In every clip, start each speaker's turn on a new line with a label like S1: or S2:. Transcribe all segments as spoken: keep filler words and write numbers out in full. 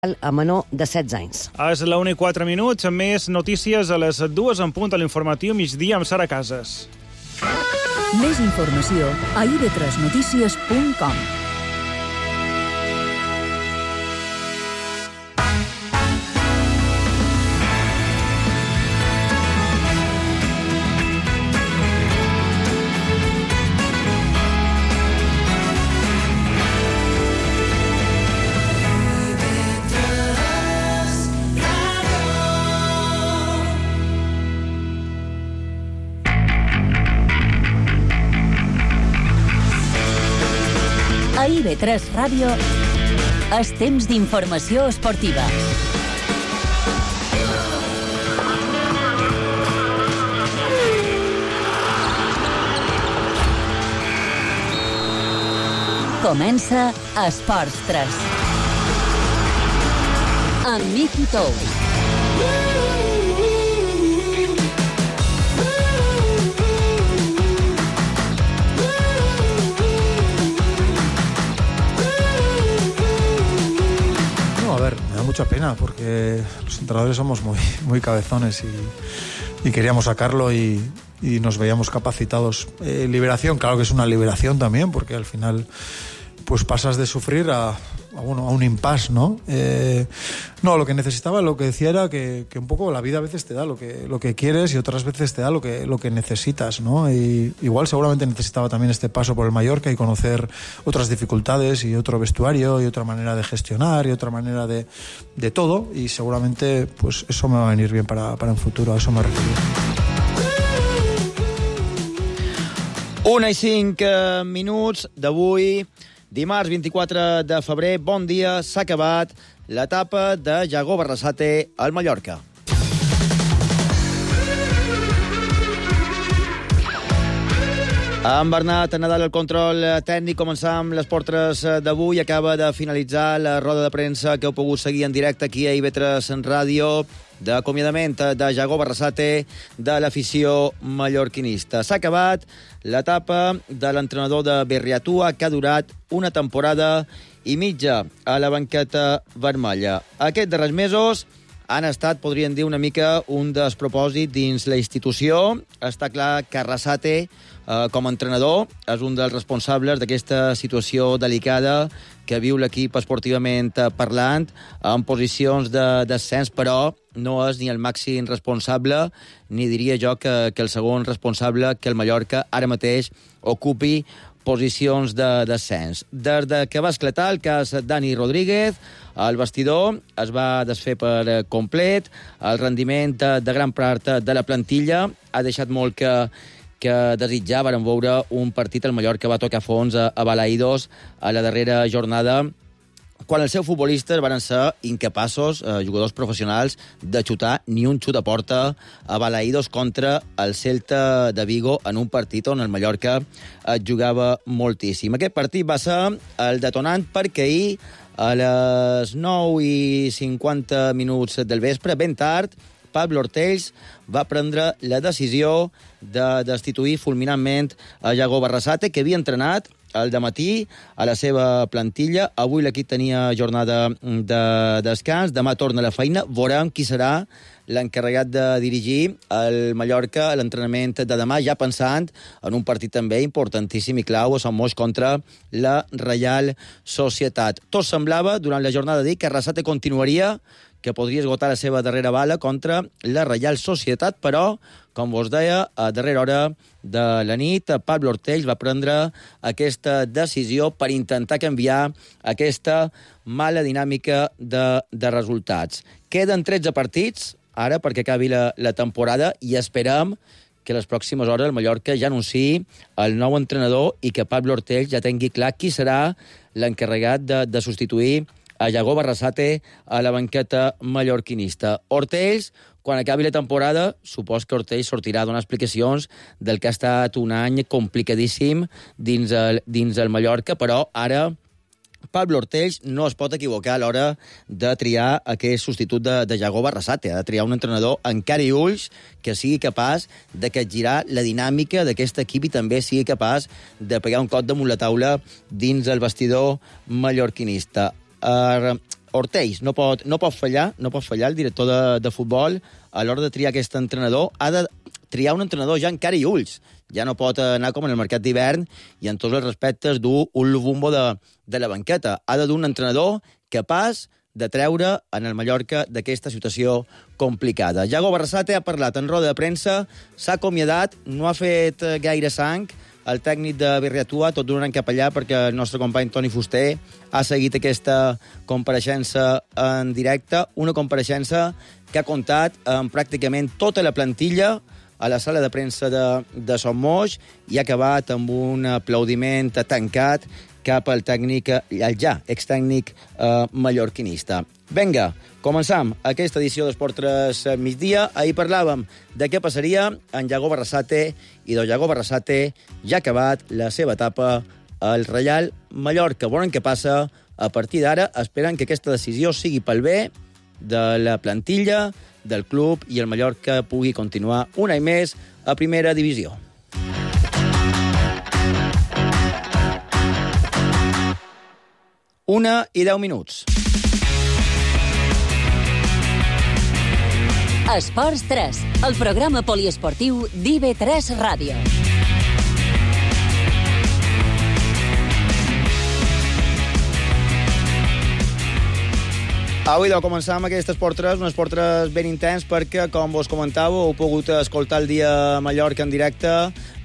S1: a menor de setze anys.
S2: És la una i quatre minuts, amb més notícies a les dues en punt a l'informatiu migdia amb Sara Casas.
S3: Més informació a i be tres notícies punt com.
S4: A i be tres Ràdio, és temps d'informació esportiva. Comença Esports tres. Amb Miki Tous.
S5: Mucha pena porque los entrenadores somos muy, muy cabezones y, y queríamos sacarlo y, y nos veíamos capacitados. Eh, liberación, claro que es una liberación también, porque al final pues pasas de sufrir a, a, bueno, a un impasse, ¿no? Eh, no, lo que necesitaba, lo que decía era que, que un poco la vida a veces te da lo que, lo que quieres y otras veces te da lo que, lo que necesitas, ¿no? Y igual seguramente necesitaba también este paso por el Mallorca y conocer otras dificultades y otro vestuario y otra manera de gestionar y otra manera de, de todo, y seguramente pues eso me va a venir bien para, para un futuro, a eso me refiero.
S6: Una i cinc minuts d'avui, dimarts vint-i-quatre de febrer. Bon dia, s'ha acabat l'etapa de Yago Barrasate al Mallorca. En Bernat Nadal el control tècnic. Començam les portres d'avui. Acaba de finalitzar la roda de premsa que heu pogut seguir en directe aquí a i be tres Ràdio, d'acomiadament de Yago Barrasate de l'afició mallorquinista. S'ha acabat l'etapa de l'entrenador de Berriatua, que ha durat una temporada i mitja a la banqueta vermella. Aquests darrers mesos han estat, podríem dir, una mica un despropòsit dins la institució. Està clar que Arrasate, eh, com a entrenador, és un dels responsables d'aquesta situació delicada que viu l'equip esportivament parlant, en posicions de descens, però no és ni el màxim responsable, ni diria jo que, que el segon responsable que el Mallorca ara mateix ocupi posicions de descens. Des de que va esclatar el cas Dani Rodríguez, el vestidor es va desfer per complet, el rendiment de gran part de la plantilla ha deixat molt que, que desitjar. Varen veure un partit, el Mallorca va tocar fons a, a Balaïdos a la darrera jornada, quan els seus futbolistes van ser incapaços, eh, jugadors professionals, de xutar ni un xut a porta a Balaïdos contra el Celta de Vigo en un partit on el Mallorca es jugava moltíssim. Aquest partit va ser el detonant perquè ahir, a les nou i cinquanta minuts del vespre, ben tard, Pablo Ortells va prendre la decisió de destituir fulminantment a Yago Barrasate, que havia entrenat al dematí a la seva plantilla. Avui l'equip tenia jornada de descans, demà torna a la feina. Veurem qui serà l'encarregat de dirigir el Mallorca a l'entrenament de demà, ja pensant en un partit també importantíssim i clau a Sant Moix contra la Reial Societat. Tot semblava, durant la jornada d'ahir, que Arrasate continuaria, que podria esgotar la seva darrera bala contra la Reial Societat, però, com vos deia, a darrera hora de la nit, Pablo Ortells va prendre aquesta decisió per intentar canviar aquesta mala dinàmica de, de resultats. Queden tretze partits, ara, perquè acabi la, la temporada, i esperem que les pròximes hores el Mallorca ja anunciï el nou entrenador i que Pablo Ortells ja tingui clar qui serà l'encarregat de, de substituir a Yago Barrasate a la banqueta mallorquinista. Ortells, quan acabi la temporada, supos que Ortells sortirà a donar explicacions del que ha estat un any complicadíssim dins el, dins el Mallorca, però ara Pablo Ortells no es pot equivocar a l'hora de triar aquest substitut de, de Yago Barrasate. Ha de triar un entrenador amb cara i ulls que sigui capaç de capgirar la dinàmica d'aquest equip i també sigui capaç de pegar un cop damunt la taula dins el vestidor mallorquinista. Uh, Ortells no pot, no pot fallar, no pot fallar el director de, de futbol a l'hora de triar aquest entrenador. Ha de triar un entrenador ja en cara i ulls. Ja no pot anar com en el mercat d'hivern i en tots els respectes dur un Lubumbo de, de la banqueta. Ha de dur un entrenador capaç de treure en el Mallorca d'aquesta situació complicada. Yago Barrasate ha parlat en roda de premsa, s'ha acomiadat, no ha fet gaire sang, el tècnic de Birriatua, tot donant cap allà perquè el nostre company Toni Fuster ha seguit aquesta compareixença en directe, una compareixença que ha comptat amb pràcticament tota la plantilla a la sala de premsa de, de Son Moix i ha acabat amb un aplaudiment tancat cap al tècnic, el ja extècnic eh, mallorquinista. Vinga, començam aquesta edició d'Esport tres migdia. Ahir parlàvem de què passaria en Yago Barrasate i del Yago Barrasate ja ha acabat la seva etapa al Reial Mallorca. Veurem què passa a partir d'ara. Esperen que aquesta decisió sigui pel bé de la plantilla, del club i el Mallorca pugui continuar un any més a primera divisió. Una i deu minuts.
S4: Esports tres, el programa poliesportiu d'I B tres Ràdio.
S6: Avui de començar amb aquest Esport tres, un Esport tres ben intens perquè, com vos comentàveu, heu pogut escoltar el dia a Mallorca en directe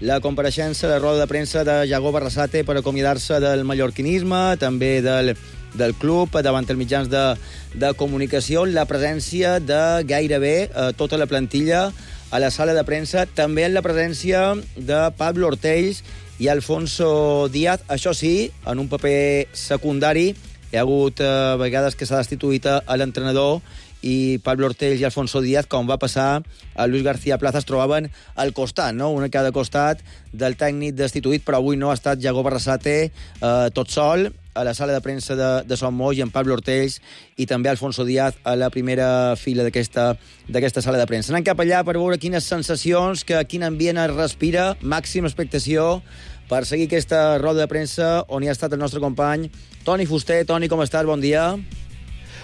S6: la compareixença, la roda de premsa de Yago Barrasate per acomiadar-se del mallorquinisme, també del, del club, davant els mitjans de, de comunicació, la presència de gairebé eh, tota la plantilla a la sala de premsa, també en la presència de Pablo Ortells i Alfonso Díaz, això sí, en un paper secundari. Hi ha hagut eh, vegades que s'ha destituït a l'entrenador i Pablo Ortells i Alfonso Díaz, com va passar a Luis García Plaza, es trobaven al costat, no? Un a cada costat del tècnic destituït, però avui no ha estat Yago Barrasate eh, tot sol a la sala de premsa de, de Son Moix i en Pablo Ortells i també Alfonso Díaz a la primera fila d'aquesta d'aquesta sala de premsa. Anem cap allà per veure quines sensacions, que quin ambient es respira, màxima expectació per seguir aquesta roda de premsa on hi ha estat el nostre company Toni Fuster. Toni, com estàs? Bon dia.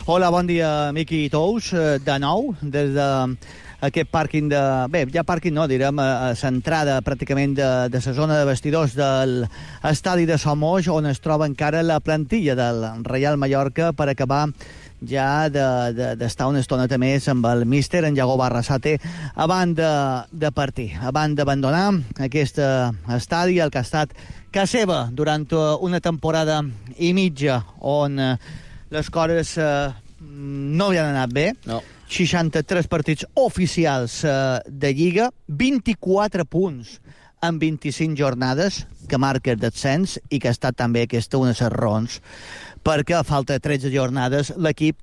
S7: Hola, bon dia, Miqui Tous. De nou, des d'aquest pàrquing de... Bé, ja pàrquing no, direm, a l'entrada pràcticament de, de la zona de vestidors del estadi de Son Moix, on es troba encara la plantilla del Reial Mallorca per acabar ja d'estar de, de, una estoneta més amb el míster, en Yago Barrasate, abans de, de partir, abans d'abandonar aquest estadi, el que ha estat casa seva durant una temporada i mitja, on eh, les coses eh, no havien anat bé.
S6: No.
S7: seixanta-tres partits oficials eh, de Lliga, vint-i-quatre punts en vint-i-cinc jornades, que marca el descens i que ha estat també aquesta una de les raons perquè a falta de tretze jornades l'equip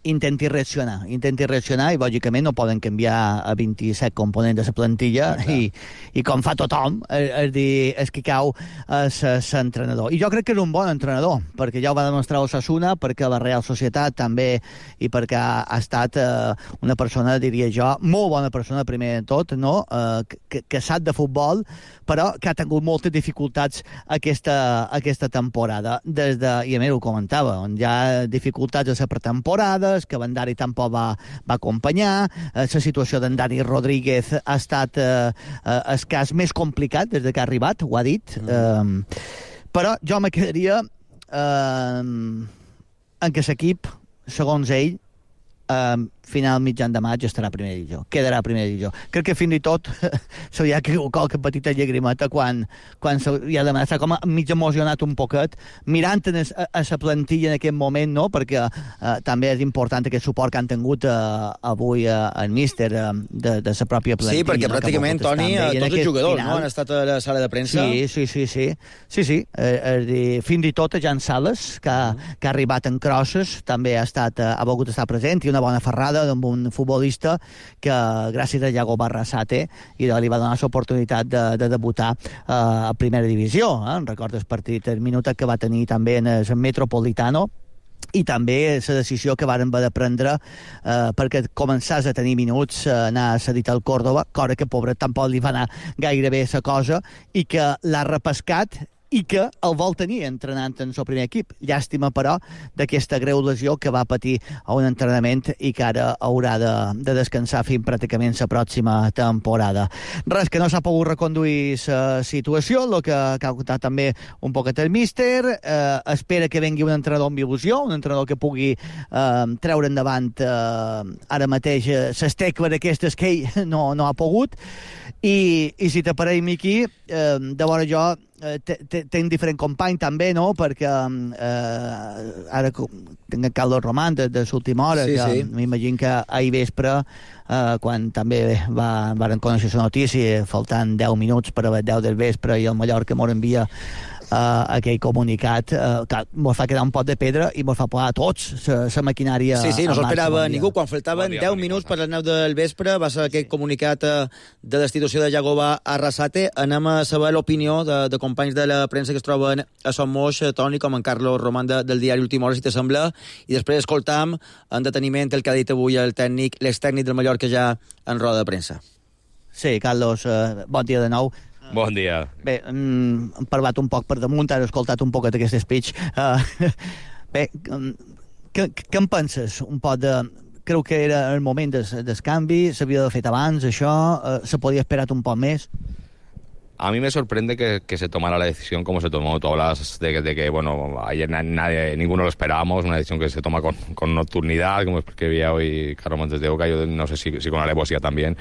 S7: intenti reaccionar, intenti reaccionar i lògicament no poden canviar a vint-i-set components de la plantilla i, i com fa tothom, és, és dir, és que cau l'entrenador. I jo crec que és un bon entrenador, perquè ja ho va demostrar Osasuna, perquè la Real Societat també, i perquè ha, ha estat eh, una persona, diria jo, molt bona persona primer de tot, no? eh, que, que sap de futbol, però que ha tingut moltes dificultats aquesta, aquesta temporada. Des de, i a més ho comentava, on hi ha dificultats a la pretemporada, que Bandari tampoc va, va acompanyar, eh, la situació d'en Dani Rodríguez ha estat eh, eh, el cas més complicat des que ha arribat, ho ha dit, mm. eh, però jo me quedaria eh, en què l'equip, segons ell, eh, final mitjan de maig estarà a primera divisió, quedarà a primera divisió. Crec que fins i tot se li ha caigut qualque petita llagrimeta quan, quan se li ha demanat, s'ha com mig emocionat un poquet, mirant a, a la plantilla en aquest moment, no? Perquè eh, també és important aquest suport que han tingut eh, avui eh, el míster eh, de, de la pròpia plantilla.
S6: Sí, perquè no? Pràcticament, Toni, tots els jugadors final, no? Han estat a la sala de premsa.
S7: Sí, sí, sí, sí. sí, sí. Eh, eh, fins i tot a Jan Sales, que, mm. que ha arribat en crosses, també ha, estat, eh, ha volgut estar present, i una bona ferrada amb un futbolista que, gràcies a Yago Barrasate, i li va donar l'oportunitat de, de debutar eh, a primera divisió. Eh? Recordes el partit, el minut que va tenir també en el Metropolitano, i també la decisió que varen haver de prendre eh, perquè començàs a tenir minuts eh, anar cedit al Córdoba, cosa que, pobre, tampoc li va anar gaire bé la cosa, i que l'ha repescat i que el vol tenir entrenant en el primer equip. Llàstima, però, d'aquesta greu lesió que va patir a un entrenament i que ara haurà de, de descansar fins pràcticament la pròxima temporada. Res, que no s'ha pogut reconduir la situació, el que ha contat també un poquet el míster, eh, espera que vengui un entrenador amb il·lusió, un entrenador que pugui eh, treure endavant eh, ara mateix les tecles aquestes que ell no, no ha pogut, i, i si t'aparell, Miqui, eh, de vora jo tenc diferent company també, no? Perquè eh, ara tinc el Carlos Román de, de l'última hora, sí, que sí. M'imagino que ahir vespre, eh, quan també va, van conèixer la notícia, faltant deu minuts per a les deu del vespre, i el Mallorca m'ho envia Uh, aquell comunicat, uh, que mos fa quedar un pot de pedra i mos fa posar a tots la maquinària.
S6: Sí, sí, no s'ho esperava ningú. Quan faltaven deu minuts per les nou del vespre va ser aquest comunicat uh, de destitució de Jagova Arrasate. Anem a saber l'opinió de, de companys de la premsa que es troben a Son Moix, Toni, com en Carlos Román de, del diari Última Hora, si t'assembla, i després escoltam en deteniment el que ha dit avui el tècnic, l'extècnic del Mallorca ja en roda de premsa.
S7: Sí, Carlos, uh, bon dia de nou.
S8: Bon dia.
S7: Bé, hem parlat un poc per damunt, he escoltat un poc d'aquest speech. Uh, bé, què, què en penses? Un poc de... Creu que era el moment del, del canvi, s'havia de fet abans, això, uh, se podia esperar un poc més?
S8: A mí me sorprende que, que se tomara la decisión como se tomó. Tú hablas de, de que, bueno, ayer nadie, ninguno lo esperábamos, una decisión que se toma con, con nocturnidad, como escribía hoy Carlos Montes de Oca, yo no sé si, si con alevosía también,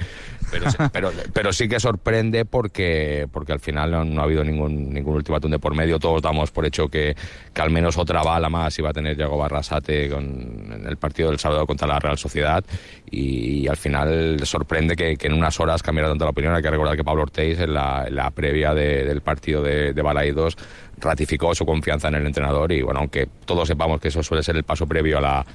S8: pero, pero, pero sí que sorprende porque, porque al final no, no ha habido ningún, ningún ultimátum de por medio. Todos damos por hecho que, que al menos otra bala más iba a tener Jagova Arrasate con, en el partido del sábado contra la Real Sociedad, y, y al final sorprende que, que en unas horas cambiara tanto la opinión. Hay que recordar que Pablo Ortiz en la, en la previa de, del partido de, de Balaidos ratificó su confianza en el entrenador, y bueno, aunque todos sepamos que eso suele ser el paso previo a la,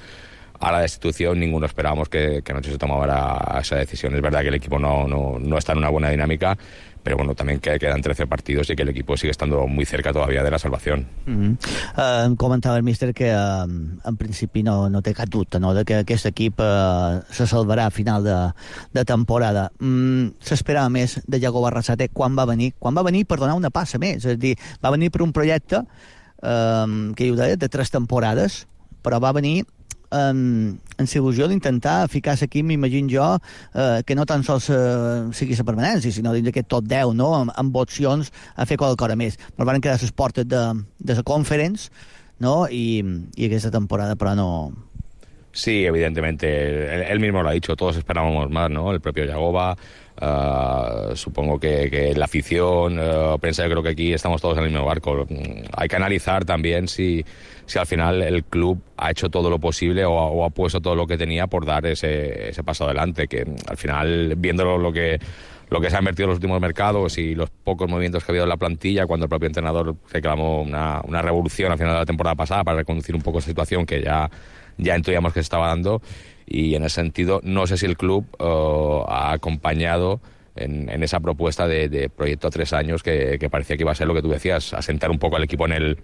S8: a la destitución, ninguno esperábamos que, que anoche se tomara esa decisión. Es verdad que el equipo no, no, no está en una buena dinámica, pero bueno, también que quedan trece partidos y que el equipo sigue estando muy cerca todavía de la salvación.
S7: Mm-hmm. Uh, em comentava el míster que uh, en principi no, no té cap dubte, no?, de que aquest equip uh, se salvarà a final de, de temporada. Mm, s'esperava més de Jagova Arrasate quan va venir, quan va venir per donar una passa més, és a dir, va venir per un projecte uh, que ho deia, de tres temporades, però va venir en, en la il·lusió d'intentar ficar aquí, m'imagino jo, eh, que no tan sols eh, sigui la permanència, sinó dins d'aquest top deu, no?, amb, amb opcions a fer qualque cosa més. Però van quedar les portes de, de la Conference, no?, i, i aquesta temporada, però no...
S8: Sí, evidentemente, él, él mismo lo ha dicho, todos esperábamos más, ¿no?, el propio Jagova, uh, supongo que, que la afición, uh, prensa, yo creo que aquí estamos todos en el mismo barco. Hay que analizar también si, si al final el club ha hecho todo lo posible o, o ha puesto todo lo que tenía por dar ese, ese paso adelante, que al final, viendo lo que... lo que se ha invertido en los últimos mercados y los pocos movimientos que ha habido en la plantilla, cuando el propio entrenador reclamó una, una revolución al final de la temporada pasada para reconducir un poco esa situación que ya, ya intuíamos que se estaba dando, y en ese sentido no sé si el club uh, ha acompañado en, en esa propuesta de, de proyecto a tres años que, que parecía que iba a ser lo que tú decías, asentar un poco al equipo en el,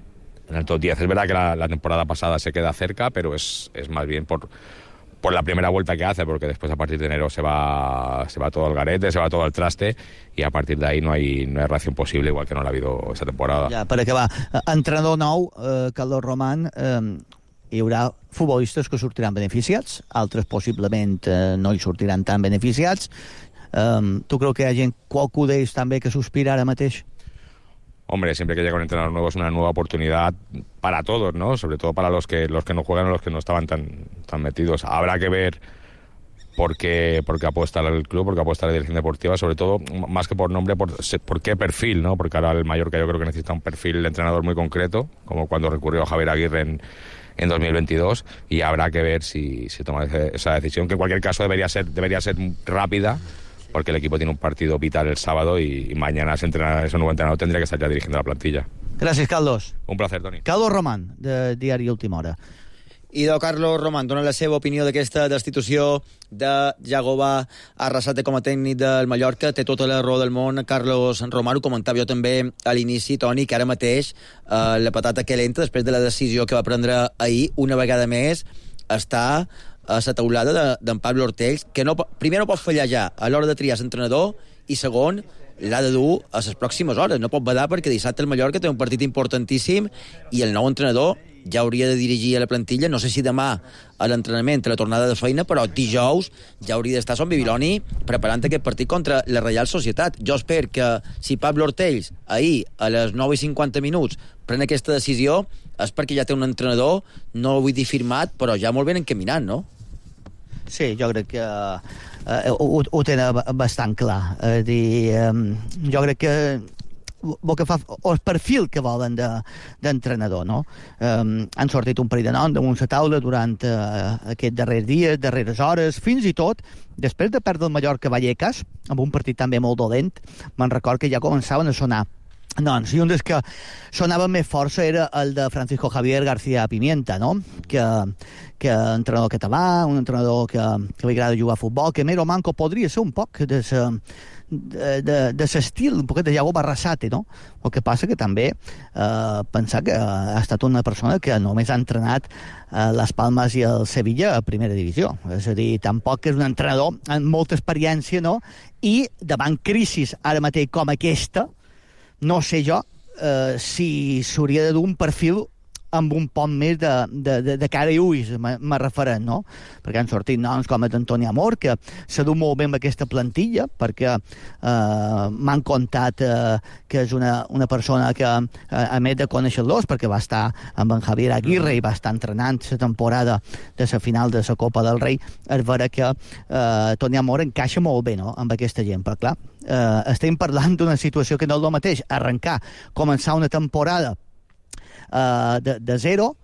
S8: en el top diez. Es verdad que la, la temporada pasada se queda cerca, pero es, es más bien por... por la primera vuelta que hace, porque después a partir de enero se va se va todo al garete, se va todo al traste, y a partir de ahí no hay, no hay reacción posible, igual que no l'ha habido esta temporada.
S7: Ja, per acabar, entrenador nou, eh, Carlos Román, eh, hi haurà futbolistes que sortiran beneficiats, altres possiblement eh, no hi sortiran tan beneficiats. Eh, tu creu que hi ha gent, qualcú d'ells també, que sospira ara mateix?
S8: Hombre, siempre que llega un entrenador nuevo es una nueva oportunidad para todos, ¿no? Sobre todo para los que los que no juegan o los que no estaban tan, tan metidos. Habrá que ver por qué, por qué apuesta el club, por qué apuesta la dirección deportiva, sobre todo, más que por nombre, por, por qué perfil, ¿no? Porque ahora el Mallorca yo creo que necesita un perfil de entrenador muy concreto, como cuando recurrió a Javier Aguirre en, en dos mil veintidós, y habrá que ver si se toma esa decisión, que en cualquier caso debería ser, debería ser rápida, porque el equipo tiene un partido vital el sábado y, y mañana ese, entrenador, ese nuevo entrenador tendría que estar ya dirigiendo la plantilla.
S7: Gràcies, Carlos.
S8: Un placer, Toni.
S7: Carlos Román, de Diari Última Hora.
S6: I de Carlos Román dona la seva opinió d'aquesta destitució de Jagova Arrasate com a tècnic del Mallorca. Té tota la raó del món Carlos Román. Ho comentava jo també a l'inici, Toni, que ara mateix eh, la patata calenta, després de la decisió que va prendre ahir, una vegada més, està a la taulada d'en de, Pablo Ortiz, que no, primer no pot fallar ja a l'hora de triar l'entrenador, i segon, l'ha de dur a les pròximes hores. No pot badar perquè dissabte el Mallorca té un partit importantíssim i el nou entrenador ja hauria de dirigir a la plantilla, no sé si demà a l'entrenament, a la tornada de feina, però dijous ja hauria d'estar Son Bibiloni preparant aquest partit contra la Reial Societat. Jo espero que si Pablo Ortells ahir a les nou i cinquanta minuts pren aquesta decisió és perquè ja té un entrenador, no vull dir firmat, però ja molt ben encaminat, no?
S7: Sí, jo crec que eh, ho, ho tenen bastant clar. És dir, eh, jo crec que el que fa, o el perfil que volen d'entrenador, no? Um, han sortit un parell de noms damunt la taula durant uh, aquests darrers dies, darreres hores, fins i tot després de perdre el Mallorca Vallecas, amb un partit també molt dolent, me'n record que ja començaven a sonar noms, i un dels que sonava més força era el de Francisco Javier García Pimienta, no? Que, que entrenador català, un entrenador que, que li agrada jugar a futbol, que Mero Manco podria ser un poc de sa, de, de, de l'estil un poquet de Iago Barrasate, no? El que passa que també eh, pensar que ha estat una persona que només ha entrenat eh, les Palmes i el Sevilla a primera divisió, és a dir, tampoc és un entrenador amb molta experiència, no? I davant crisis ara mateix com aquesta, no sé jo eh, si s'hauria de dur un perfil amb un poc més de, de, de, de cara i ulls, me referent, no? Perquè han sortit noms com Antoni Amor, que s'ha dut molt bé amb aquesta plantilla, perquè eh, m'han contat eh, que és una, una persona que, eh, a més de conèixer-los, perquè va estar amb en Javier Aguirre i va estar entrenant la temporada de la final de la Copa del Rei, és vera que eh, Toni Amor encaixa molt bé, no?, amb aquesta gent, però clar, eh, estem parlant d'una situació que no és el mateix arrencar, començar una temporada Uh, de, de zero,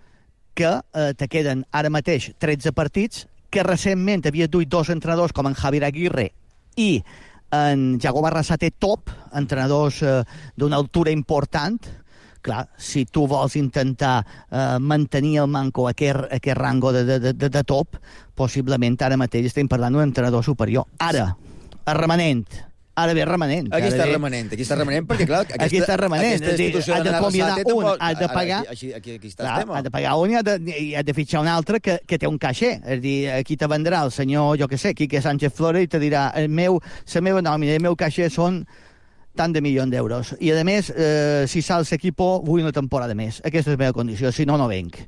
S7: que uh, te queden ara mateix tretze partits, que recentment havia duit dos entrenadors com en Javier Aguirre i en Iago Barrasate top, entrenadors uh, d'una altura important. Clar, si tu vols intentar uh, mantenir el manco a aquest, a aquest rango de, de, de, de top, possiblement ara mateix estem parlant d'un entrenador superior. Ara, el remanent, ara ve remanent.
S6: Aquí està remanent, aquí està remanent, perquè clar, aquesta,
S7: aquí està remanent.
S6: aquesta institució
S7: has de acomiadar un, has de pagar,
S6: aquí, aquí, aquí està
S7: clar,
S6: el tema.
S7: has de pagar un i has de, i has de fitxar un altre que, que té un caixer. És dir, aquí te vendrà el senyor, jo que sé, Quique Sánchez Flores, i te dirà, el meu, la meva nòmina, el meu caixer són tant de milions d'euros. I a més, eh, si sals l'equipo, vull una temporada més. Aquesta és la meva condició, si no, no venc.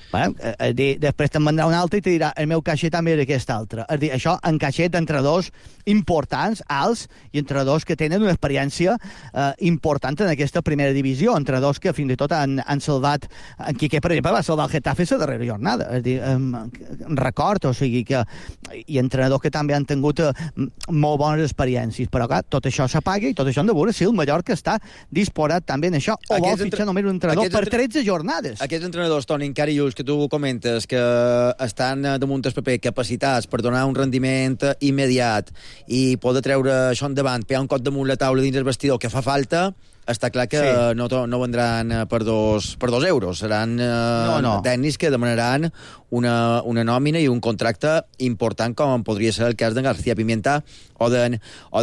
S7: Bueno, eh, de, després te'n vendrà un altre i te dirà el meu caixer també és aquest altre. És dir, això en caixer d'entrenadors importants, alts, i entrenadors que tenen una experiència eh, important en aquesta primera divisió, entrenadors que fins i tot han, han salvat, en Quique, per exemple, va salvar el Getafe la darrera jornada. És dir, eh, record, o sigui que i entrenadors que també han tingut eh, molt bones experiències, però clar, tot això s'apaga i tot això han de veure si el Mallorca està disposat també en això, o vol fitxar entre... només un entrenador per tretze jornades.
S6: Aquests entrenadors, Toni, encara i ulls, que tu comentes que estan damunt del paper capacitats per donar un rendiment immediat i poder treure això endavant, pegar un cop damunt la taula dins el vestidor que fa falta, està clar que sí. no, no vendran per dos, per dos euros. Seran eh, no, no. tècnics que demanaran una, una nòmina i un contracte important, com podria ser el cas d'en García Pimienta o d'en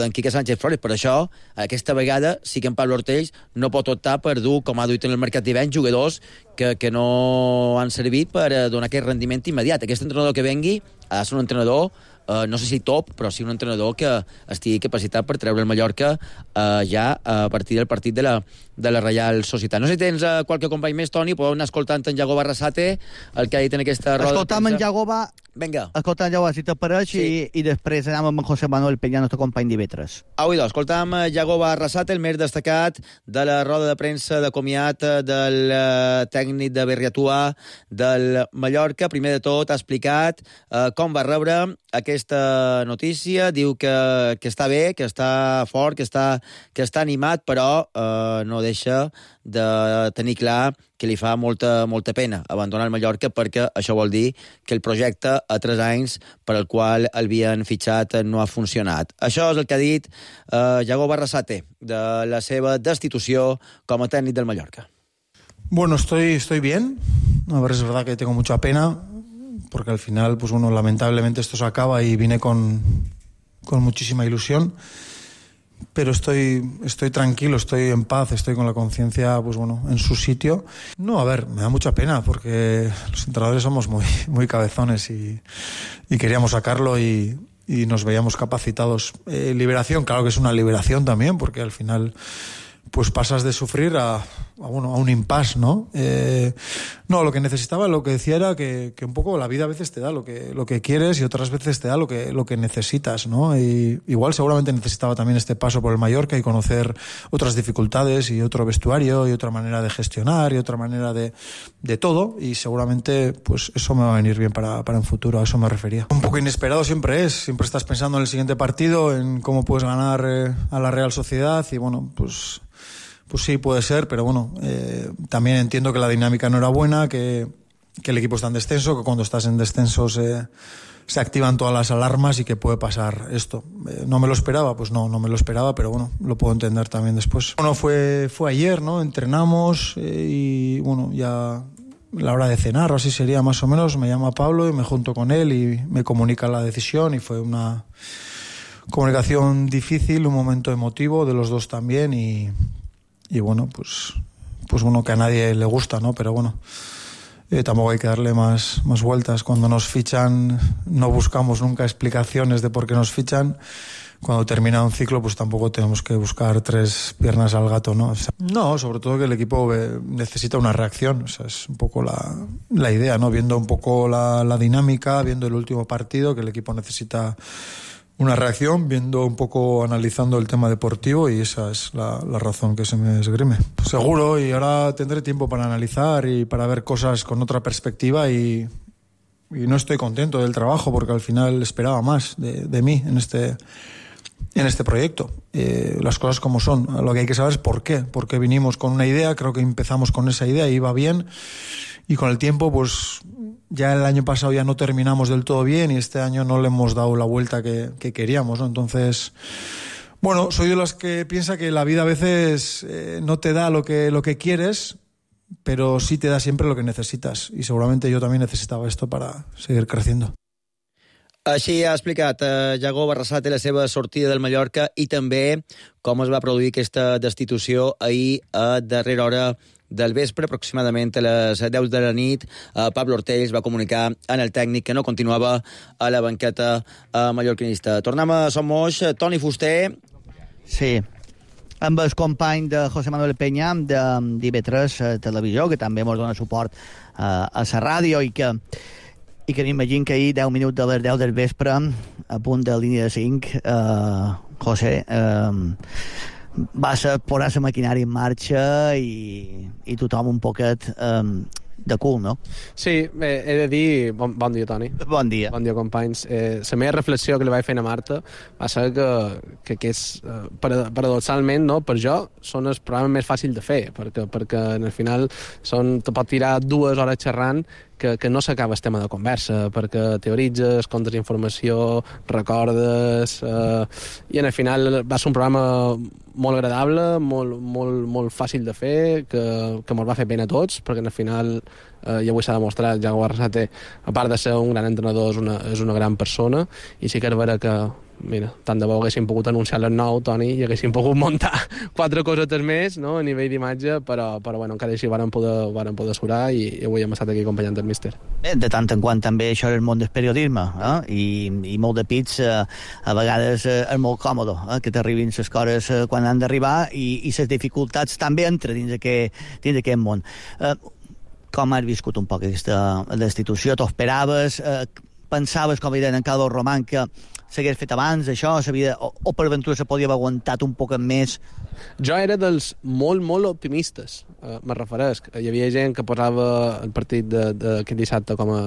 S6: Quique Sánchez Flores. Per això, aquesta vegada, sí que en Pablo Ortells no pot optar per dur, com ha duit en el mercat d'hivern, jugadors que, que no han servit per donar aquest rendiment immediat. Aquest entrenador que vengui ha de ser un entrenador Uh, no sé si top, però sí un entrenador que estigui capacitat per treure el Mallorca uh, ja a partir del partit de la, de la Reial Societat. No sé si tens uh, qualque company més, Toni, podeu anar escoltant en Iago Barrasate, el que ha dit en aquesta roda.
S7: Escoltam en Iago va...
S6: Vinga.
S7: Escoltam en Iago, si t'apareix, sí. i, i després anem amb en José Manuel Peña, nostre company d'Ivetres.
S6: Au, idò, escoltam Iago Barrasate, el més destacat de la roda de premsa de comiat del uh, tècnic de Berriatúa del Mallorca. Primer de tot ha explicat uh, com va rebre aquesta notícia, diu que, que està bé, que està fort, que està, que està animat, però eh, no deixa de tenir clar que li fa molta, molta pena abandonar el Mallorca, perquè això vol dir que el projecte a tres anys per al qual l'havien fitxat no ha funcionat. Això és el que ha dit eh, Iago Barrasate de la seva destitució com a tècnic del Mallorca.
S5: Bueno, estoy, estoy bien. A ver, es verdad que tengo mucha pena, porque al final, pues bueno, lamentablemente esto se acaba y vine con, con muchísima ilusión, pero estoy, estoy tranquilo, estoy en paz, estoy con la conciencia, pues bueno, en su sitio. No, a ver, me da mucha pena, porque los entrenadores somos muy, muy cabezones y, y queríamos sacarlo y, y nos veíamos capacitados. Eh, liberación, claro que es una liberación también, porque al final pues pasas de sufrir a, a, bueno, a un impasse, ¿no? Eh, no, lo que necesitaba, lo que decía era que, que un poco la vida a veces te da lo que, lo que quieres y otras veces te da lo que, lo que necesitas, ¿no? Y igual seguramente necesitaba también este paso por el Mallorca y conocer otras dificultades y otro vestuario y otra manera de gestionar y otra manera de, de todo, y seguramente pues eso me va a venir bien para, para un futuro, a eso me refería. Un poco inesperado siempre es, siempre estás pensando en el siguiente partido, en cómo puedes ganar eh, a la Real Sociedad y bueno, pues... Pues sí, puede ser, pero bueno, eh, también entiendo que la dinámica no era buena, que, que el equipo está en descenso, que cuando estás en descenso se, se activan todas las alarmas y que puede pasar esto. Eh, ¿No me lo esperaba? Pues no, no me lo esperaba, pero bueno, lo puedo entender también después. Bueno, fue, fue ayer, ¿no? Entrenamos eh, y bueno, ya la hora de cenar o así sería más o menos, me llama Pablo y me junto con él y me comunica la decisión y fue una comunicación difícil, un momento emotivo de los dos también y... Y bueno, pues, pues bueno, que a nadie le gusta, ¿no? Pero bueno, eh, tampoco hay que darle más, más vueltas. Cuando nos fichan no buscamos nunca explicaciones de por qué nos fichan. Cuando termina un ciclo, pues tampoco tenemos que buscar tres piernas al gato, ¿no? O sea, no, sobre todo que el equipo eh, necesita una reacción. O sea, es un poco la, la idea, ¿no? Viendo un poco la, la dinámica, viendo el último partido, que el equipo necesita... una reacción, viendo un poco, analizando el tema deportivo, y esa es la, la razón que se me esgrime. Seguro, y ahora tendré tiempo para analizar y para ver cosas con otra perspectiva y, y no estoy contento del trabajo porque al final esperaba más de, de mí en este, en este proyecto. Eh, las cosas como son. Lo que hay que saber es por qué. Por qué vinimos con una idea, creo que empezamos con esa idea y iba bien, y con el tiempo pues... Ya el año pasado ya no terminamos del todo bien y este año no le hemos dado la vuelta que, que queríamos, ¿no? Entonces, bueno, soy de los que piensa que la vida a veces eh, no te da lo que, lo que quieres, pero sí te da siempre lo que necesitas. Y seguramente yo también necesitaba esto para seguir creciendo.
S6: Així ha explicat eh, Yago Barrasate la seva sortida del Mallorca i també com es va produir aquesta destitució ahir a darrera hora del vespre, aproximadament a les deu de la nit. eh, Pablo Ortells va comunicar en el tècnic que no continuava a la banqueta eh, mallorquinista. Tornem a Som Moix. Toni Fuster.
S7: Sí, amb el company de José Manuel Peña de d'I V tres Televisió, que també ens dona suport eh, a la ràdio i que i que m'imagino que ahir, deu minuts de les deu del vespre, a punt de línia de cinc, eh, José, eh, va ser posar la maquinària en marxa i, i tothom un poquet eh, de cul, no?
S9: Sí, bé, he de dir... Bon, bon dia, Toni.
S7: Bon dia.
S9: Bon dia, companys. Eh, la meva reflexió que li vaig fer a Marta va ser que, que, que és, eh, paradoxalment, no, per jo, són el programa més fàcil de fer, perquè, perquè al final són, te pot tirar dues hores xerrant que, que no s'acaba el tema de conversa, perquè teoritzes, comptes informació, recordes, eh, i en el final va ser un programa molt agradable, molt, molt, molt fàcil de fer, que, que ens va fer pena a tots, perquè en el final, eh, ja avui s'ha demostrat, Yago Barrasate, a part de ser un gran entrenador, és una, és una gran persona, i sí que és vera que, mira, tant de bo haguéssim pogut anunciar les nou, Toni, i haguéssim pogut muntar quatre cosetes més, no?, a nivell d'imatge, però, però bueno, encara així varen poder, varen poder surar i, i avui hem estat aquí acompanyant el míster.
S7: Bé, de tant en quant també això és el món del periodisme, eh? I, i molt de pits eh, a vegades eh, és molt còmode, eh? Que t'arribin les coses eh, quan han d'arribar i, i les dificultats també entren dins aquest, dins aquest món. Eh, com has viscut un poc aquesta destitució? T'ho esperaves? Eh, pensaves, com deien en Carlos Román, que s'hagués fet abans, això, o, o per ventura se podia haver aguantat un poc més?
S9: Jo era dels molt, molt optimistes, eh, me refereix. Hi havia gent que posava el partit d'aquest dissabte com a,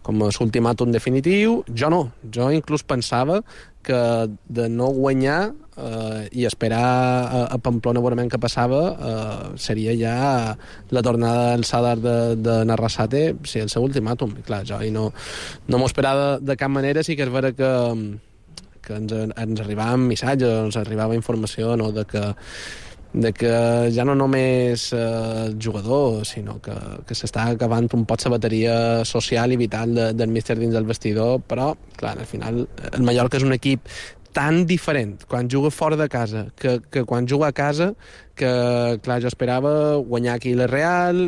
S9: com a l'ultimàtum definitiu. Jo no. Jo inclús pensava que de no guanyar eh, i esperar a, a Pamplona a veure què passava eh, seria ja la tornada al Sadar de, de Narrasate, sí, el seu ultimàtum. I clar, jo i no, no m'ho esperava de cap manera. Sí que és vera que, que ens, ens arribaven missatges, ens arribava informació, no?, de que de que ja no només eh, jugador, sinó que, que s'està acabant un pot la bateria social i vital de, del míster dins del vestidor, però, clar, al final el Mallorca és un equip tan diferent quan juga fora de casa que, que quan juga a casa, que, clar, jo esperava guanyar aquí la Real,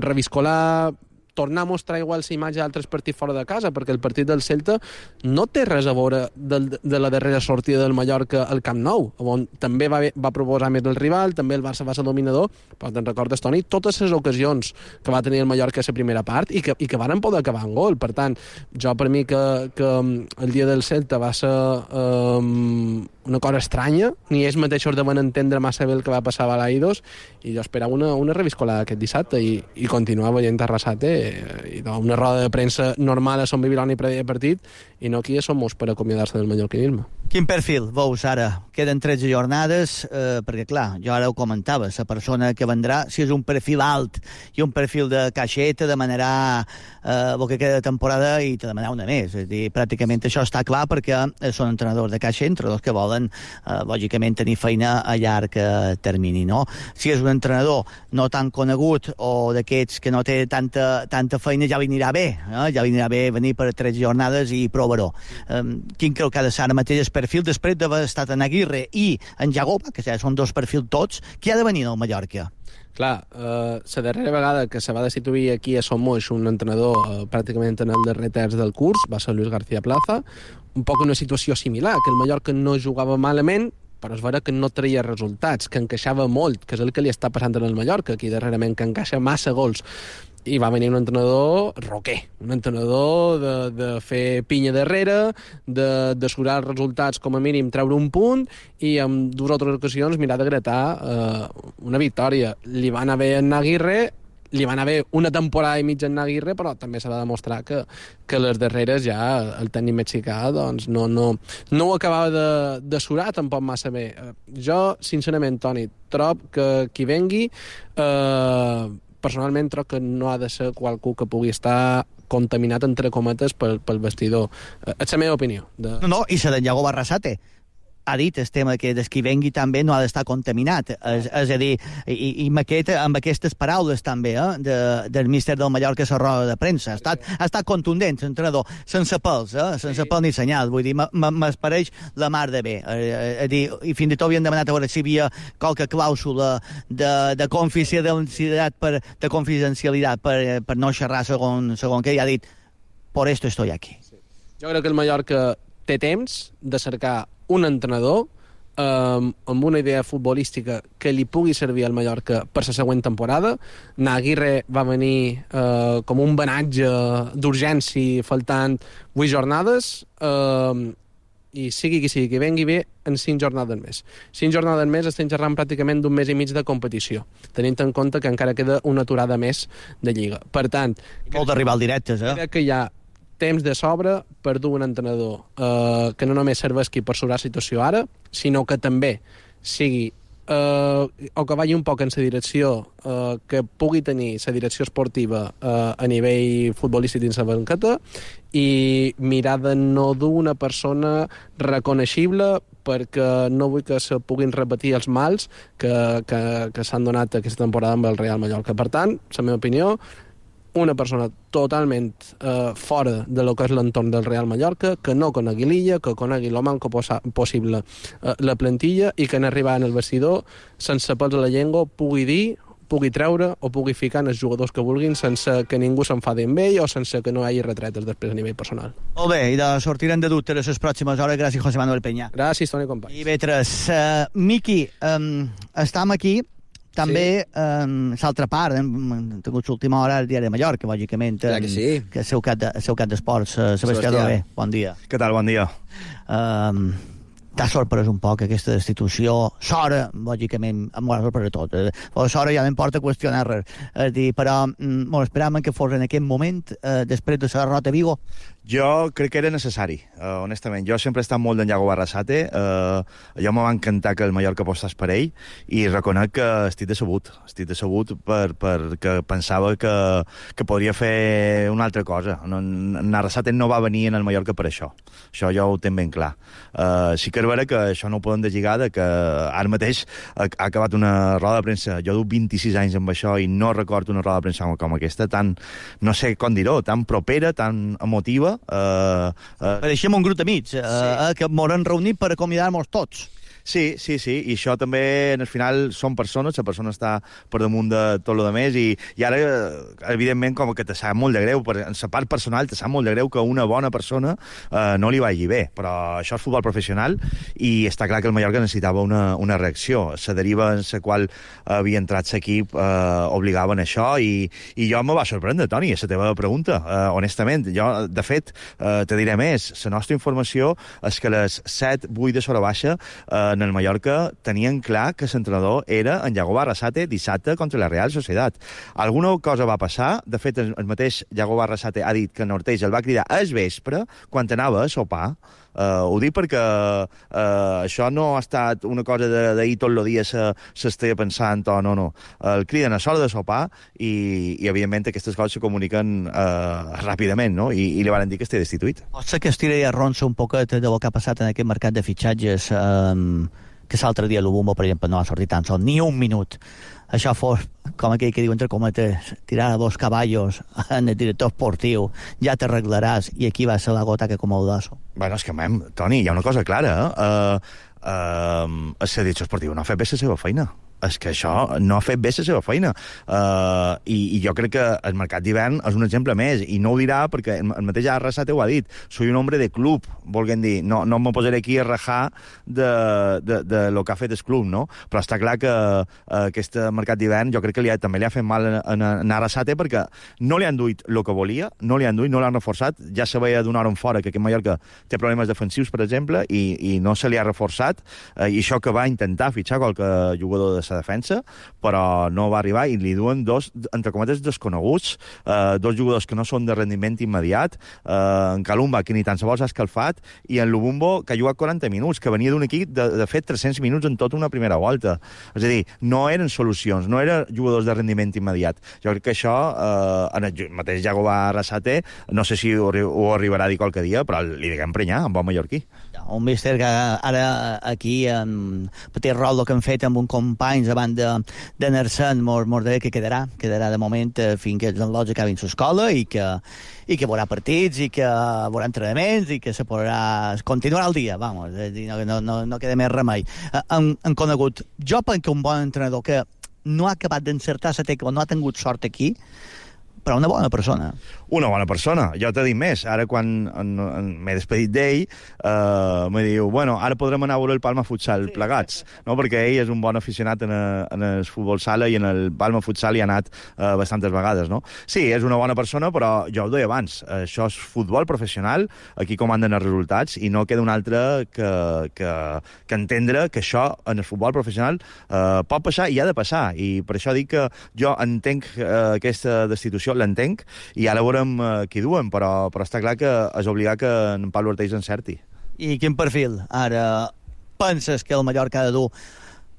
S9: reviscolar, tornar a mostrar igual la imatge d'altres partits fora de casa, perquè el partit del Celta no té res a veure de, de la darrera sortida del Mallorca al Camp Nou, on també va, va proposar més el rival, també el Barça va ser dominador, però te'n recordes, Toni, totes les ocasions que va tenir el Mallorca a la primera part i que, i que van poder acabar en gol. Per tant, jo per mi que, que el dia del Celta va ser um, una cosa estranya, ni ells mateixos deuen entendre massa bé el que va passar a Balaidos, i jo esperava una, una reviscolada aquest dissabte i, i continuar veient Arrasate i una roda de premsa normal a Son Bibiloni previ partit i no aquí som per acomiadar-se del mallorquinisme.
S7: Quin perfil veus ara? Queden tretze jornades, eh, perquè clar, jo ara ho comentava, la persona que vendrà, si és un perfil alt i un perfil de caixeta, demanarà eh, el que queda de temporada i te demanarà una més. És a dir, pràcticament això està clar perquè són entrenadors de caixa, entrenadors que volen, eh, lògicament, tenir feina a llarg eh, termini, no? Si és un entrenador no tan conegut o d'aquests que no té tanta, tanta feina, ja li anirà bé, eh? ja li anirà bé venir per tres jornades i provar-ho. Eh, quin creu que ha de ser ara mateix el perfil després d'haver estat en Aguirre i en Jagoba, que ja són dos perfils tots, qui ha de venir al Mallorca?
S9: Clar, eh, la darrera vegada que se va destituir aquí a Somos un entrenador eh, pràcticament en el darrer terç del curs va ser Luis García Plaza, un poc una situació similar, que el Mallorca no jugava malament, però es veure que no treia resultats, que encaixava molt, que és el que li està passant en el Mallorca, aquí darrerament, que encaixa massa gols. I va venir un entrenador roquer, un entrenador de, de fer pinya darrere, de d'assegurar els resultats com a mínim, treure un punt i en dues o tres ocasions mirar de gratar eh, una victòria. Li va anar bé en Aguirre, li va anar bé una temporada i mitja en Aguirre, però també s'ha de demostrar que, que les darreres ja el tècnic mexicà doncs, no, no, no ho acabava de, de surar tampoc massa bé. Jo, sincerament, Toni, trob que qui vengui eh, personalment trobo que no ha de ser qualcú que pugui estar contaminat, entre cometes, pel, pel vestidor. És la meva opinió. De...
S7: No, no, i se d'en Iago Barrasate ha dit el tema que des qui vengui també no ha d'estar contaminat. És, és a dir, i, i amb, aquest, amb aquestes paraules també eh, de, del míster del Mallorca a la roda de premsa. Ha estat, ha estat contundent, l'entrenador, sense pèls, eh, sense pèl ni senyal. Vull dir, m'espareix la mar de bé. Eh, dir, I fins i tot havien demanat a veure si hi havia qualque clàusula de, de confidencialitat per, de confidencialitat per, per no xerrar segon, segon què, i ha dit, por esto estoy aquí.
S9: Sí. Jo crec que el Mallorca té temps de cercar un entrenador eh, amb una idea futbolística que li pugui servir al Mallorca per la següent temporada. Aguirre va venir eh, com un banatge d'urgència faltant vuit jornades eh, i sigui qui sigui que vengui bé en cinc jornades més. Cinc jornades més estem xerrant pràcticament d'un mes i mig de competició, tenint en compte que encara queda una aturada més de Lliga. Per tant...
S7: Molt de rival directes, eh?
S9: Crec que hi ha temps de sobre per dur un entrenador eh, que no només serveixi per sobrar la situació ara, sinó que també sigui eh, o que vagi un poc en la direcció eh, que pugui tenir la direcció esportiva eh, a nivell futbolístic dins la banqueta i mirar de no dur una persona reconeixible perquè no vull que se puguin repetir els mals que, que, que s'han donat aquesta temporada amb el Real Mallorca. Per tant, la meva opinió, una persona totalment eh, fora de lo que és l'entorn del Real Mallorca, que no conegui l'illa, que conegui el manco possible eh, la plantilla i que en arribar en el vestidor, sense pèls a la llengua, pugui dir, pugui treure o pugui ficar en els jugadors que vulguin sense que ningú s'enfadi amb ell o sense que no hi hagi retretes després a nivell personal.
S7: Molt bé, i de sortirem de dubtes les pròximes hores. Gràcies, José Manuel Peña.
S9: Gràcies, Toni Companys.
S7: I Vetres, uh, Miqui, um, estem aquí també sí. um, l'altra part, hem, hem tingut l'última hora al diari de Mallorca, lògicament,
S6: um, que, sí.
S7: que és el seu cap de, seu cap d'esports. Uh, Sebastià Dolé, bon dia.
S10: Què tal, bon dia.
S7: Um, T'ha sorprès un poc aquesta destitució? Sora, lògicament, em va sorprès tot. Eh? Sora ja no em porta a qüestionar res. És dir, però mm, bueno, esperàvem que fos en aquest moment, eh, després de la derrota a Vigo.
S10: Jo crec que era necessari, uh, honestament. Jo sempre he estat molt d'en Iago Barrasate. Uh, jo me va encantar que el Mallorca apostés per ell i reconec que estic decebut. Estic decebut per, perquè pensava que, que podria fer una altra cosa. No, en Arrasate no va venir en el Mallorca per això. Això jo ho tenc ben clar. Uh, sí que és vera que això no ho poden deslligar de que ara mateix ha, ha acabat una roda de premsa. Jo du vint-i-sis anys amb això i no recordo una roda de premsa com aquesta, tan, no sé com dir-ho, tan propera, tan emotiva. Uh, uh...
S7: Pareixem un grup d'amics uh, sí. uh, que m'hauran reunit per acomiadar-nos tots.
S10: Sí, sí, sí, i això també, al final, són persones, la persona està per damunt de tot el més, i, i ara, evidentment, com que te sap molt de greu, per, en la part personal, te sap molt de greu que una bona persona eh, no li vagi bé, però això és futbol professional, i està clar que el Mallorca necessitava una, una reacció. La deriva en la qual havia entrat l'equip eh, obligaven això, i, i jo me va sorprendre, Toni, la teva pregunta, eh, honestament. Jo, de fet, eh, te diré més, la nostra informació és que les set vuit de sobre baixa eh, en el Mallorca tenien clar que l'entrenador era en Yagoba Arrasate dissabte contra la Real Societat. Alguna cosa va passar, de fet el mateix Yagoba Arrasate ha dit que Norteix el va cridar al vespre quan anava a sopar. Uh, ho dic perquè uh, això no ha estat una cosa d'ahir tot el dia s'estia pensant o no, no. El criden a l'hora de sopar i, i evidentment aquestes coses se comuniquen uh, ràpidament, no? I, i li van dir que estigui destituït.
S7: Pot ser que es tiri a ronça un poquet del que ha passat en aquest mercat de fitxatges, um, que l'altre dia l'Ubumbo, per exemple, no ha sortit tan sol ni un minut. Això fos, com aquell que diu entre cometes, tirar a dos caballos en el director esportiu, ja t'arreglaràs, i aquí va ser la gota que com el dasso.
S10: Bueno, és que, mem, Toni, hi ha una cosa clara, eh? Uh, uh, el director esportiu no ha fet bé la seva feina. És que això no ha fet bé la seva feina. Uh, i, I jo crec que el mercat d'hivern és un exemple més, i no ho dirà perquè el mateix Arrasate ho ha dit. Soy un hombre de club, volguem dir. No, no me posaré aquí a rajar de, de, de lo que ha fet el club, no? Però està clar que uh, aquest mercat d'hivern jo crec que li ha, també li ha fet mal a, a, a Arrasate perquè no li han duit el que volia, no li han duit, no l'han reforçat. Ja se veia d'una hora en fora que aquest Mallorca té problemes defensius, per exemple, i, i no se li ha reforçat. Uh, I això que va intentar fitxar qualque jugador de defensa, però no va arribar, i li duen dos, entre cometes, desconeguts, eh, dos jugadors que no són de rendiment immediat, eh, en Kalumba, que ni tan sols ha escalfat, i en Lubumbo, que ha jugat quaranta minuts, que venia d'un equip de, de fet tres-cents minuts en tota una primera volta. És a dir, no eren solucions, no eren jugadors de rendiment immediat. Jo crec que això, eh, en el mateix Yagoba Arrasate, no sé si ho, ho arribarà a dir qualque dia, però li diguem prenyar, en bon mallorquí.
S7: Un míster que ara aquí en petit rol que han fet amb un companys abans de, de Nersen, mos, mos deia que quedarà, quedarà de moment eh, fins que els enlots acabin l'escola, i que, i que veurà partits, i que veurà entrenaments, i que se podrà continuar el dia, vamos, no, no, no, no queda més remei. Han, han conegut, jo penso que un bon entrenador que no ha acabat d'encertar la tecla, no ha tingut sort aquí, però una bona persona.
S10: Una bona persona. Jo t'he dit més. Ara, quan m'he despedit d'ell, eh, me diu, bueno, ara podrem anar a veure el Palma Futsal sí, plegats, no? Perquè ell és un bon aficionat en, a, en el futbol sala, i en el Palma Futsal hi ha anat eh, bastantes vegades, no? Sí, és una bona persona, però jo ho deia abans, això és futbol professional, aquí comanden els resultats, i no queda un altre que, que, que entendre que això en el futbol professional eh, pot passar i ha de passar, i per això dic que jo entenc eh, aquesta destitució, l'entenc, i ara veurem uh, qui duen, però, però està clar que és obligat que en Pablo Ortiz encerti.
S7: I quin perfil ara penses que el Mallorca ha de dur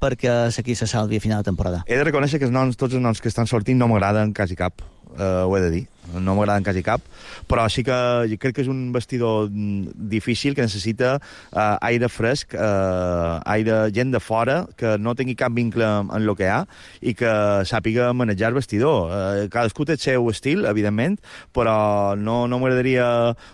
S7: perquè s'aquí se salvi a final de temporada?
S10: He de reconèixer que els noms, tots els noms que estan sortint no m'agraden quasi cap, uh, ho he de dir. No m'agraden quasi cap, però sí que jo crec que és un vestidor difícil, que necessita uh, aire fresc, uh, aire, gent de fora, que no tingui cap vincle en, en el que hi ha, i que sàpiga manejar el vestidor. Uh, cadascú té el seu estil, evidentment, però no, no m'agradaria